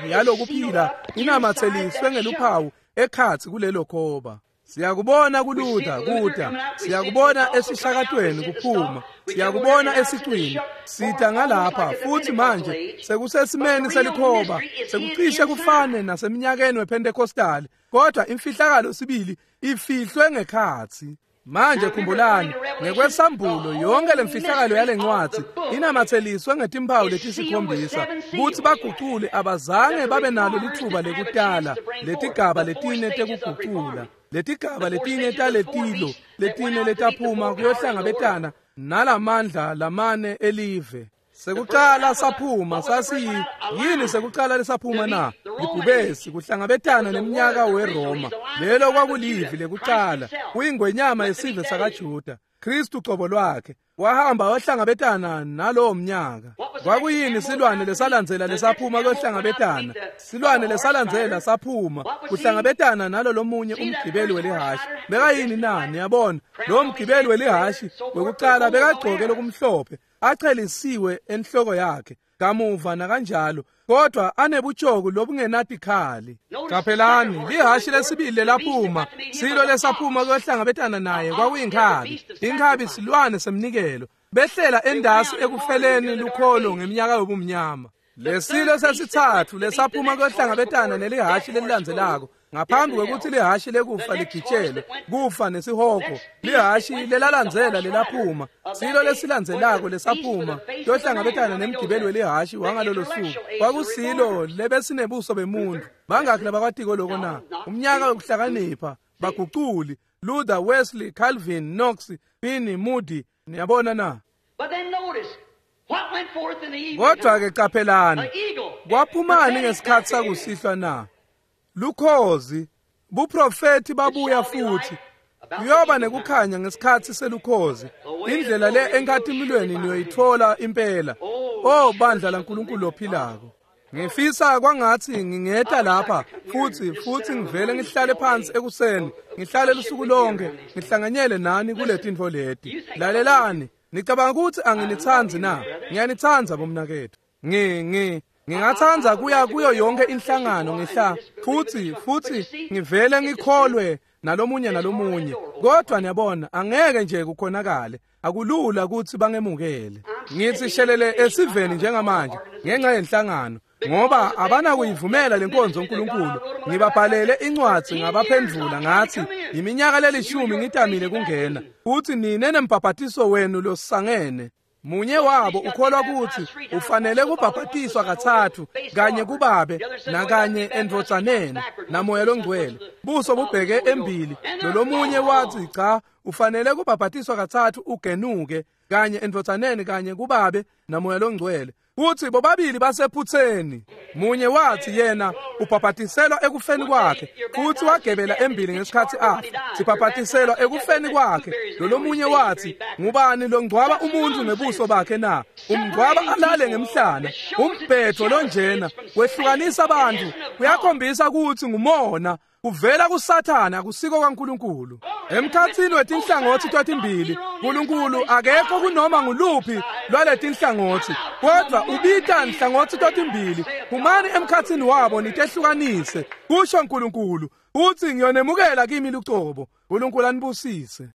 yalokuphila inamatheliswe ngeluphawu ekhatsi kulelo khoba. Siyakubona kuLuther kuta, siyakubona esishakatweni kuphuma, siyakubona esicwini sita ngalapha, futhi manje sekusesimeni selikhoba, sekucishe kufane naseminyakeni wePentecostal, kodwa imfihlakalo sibili ifihlwe ngekhatsi. Manje khumbulani, ngekwesambulo yonke lemfihlakalo yalencwadzi inamatheliswe ngetimpawu letisikhombisa, kutsi bagucule abazange babe nalo litfuba lekutala letigaba letine tekugucula, letigaba letine taletilo letine letaphuma kuyohlangabetana nalamandla lamane elive. Sekucala saphuma sasiyi yini? Sekucala lesaphuma na? Libhubesi, kuhlangabetana neminyaka weRoma. Lelo kwakulivi lekucala, kuyingwenyama yesive sakaJuda. Kristu cobo lwakhe wahamba wahlangabetana nalowo mnyaka. Kwakuyini silwane lesalandzela lesaphuma kuyohlangabetana? Silwane lesalandzela saphuma kuhlangabetana nalo lomunye umgibeli welihhashi. Bekayini na? Niyabona, lowo mgibeli welihhashi wekucala bekagcoke lokumhlophe, achelisiwe enhloko yakhe kamuva nakanjalo, kodwa anebutshoko lobungenatikhali. Caphelani, lihhashi lesibili lelaphuma, silo lesaphuma kuyohlangabetana naye kwakuyinkhabi. Inkhabi silwane semnikelo, behlela endasi ekufeleni lukholo ngeminyaka yobumnyama. Lesilo sesitsatfu lesaphuma kuyohlangabetana nelihhashi lelilandzelako, ngaphambi kwekutsi lihhashi lekufa ligitshelwe, kufa nesihogo, lihhashi lelalandzela lelaphuma, silo lesilandzelako lesaphuma kuyohlangabetana nemgibeli welihhashi wangalolo suku, kwakusilo lebesinebuso bemuntu. Bangakhi labakwatiko loko na? Umnyaka wekuhlakanipha, baguculi. Luther, Wesley, Calvin, Knox, Finney, Moody. Niyabona na? But then notice what went forth in the evening. Kodwa ke qaphelani, The eagle. kwaphumani ngesikhathi sakusihlwa na? Lukhozi, buprofeti babuya futhi. Kuyoba nekukhanya ngesikhathi selukhozi. Indlela le enkatimulweni niyoyithola impela. Oh bandla laNkulunkulu ophilako. Ngifisa kwangathi ngingeta lapha futhi ngivele ngihlale phansi ekuseni, ngihlale lusuku lonke, ngihlanganyele nani kuletintfo leti. Lalelani, nicabanga ukuthi anginitsandzi na? Ngiyanitsandza bomnaketfu. Ngingatsandza kuya kuyo yonke inhlangano ngihla futhi ngivele ngikholwe nalomunye nalomunye. Kodwa niyabona, angeke nje kukhonakale. Akulula ukuthi bangemukele. Ngithi shelele esiveni njengamanje ngenxa yenhlangano, ngoba abanakuyivumela lenkonzo uNkulunkulu. Ngibabhalele incwadi ngabaphendvula ngathi iminyaka lelishumi ngitamile kungena, futhi nine nembhabhatiso wenu losangene. Munye wabo ukholwa ukuthi ufanele kubhabhatiswa kathathu, kanye kubabe nakanye endvodzaneni namoya longcwele, buso bubheke embili. Lolomunye wathi cha, ufanele kubhabhatiswa kathathu ugenuke, kanye endvodzaneni kanye kubabe namoya longcwele. Kuthi bobabili basephutheni. Munye wathi yena ubhabhatiselwa ekufeni kwakhe, futhi wagebela embili ngesikhathi afa. Sibhabhatiselwa ekufeni kwakhe. Lolomunye wathi, ngubani longcwaba umuntu ngebuso bakhe na? Umngcwaba alale ngemhlana. Umbhetho lonjena wehlukanisa abantu, kuyakhombisa ukuthi ngumona. Kuvela kuSathane, akusiko kaNkulunkulu. Emkhathini wetinhlangothi totimbili, uNkulunkulu akekho kunoma nguluphi lwaletinhlangothi, kodwa ubita nhlangothi totimbili. Phumani emkhathini wabo nitehlukanise, kusho uNkulunkulu. Uthi ngiyonemukela kimi lucobo. uNkulunkulu anibusise.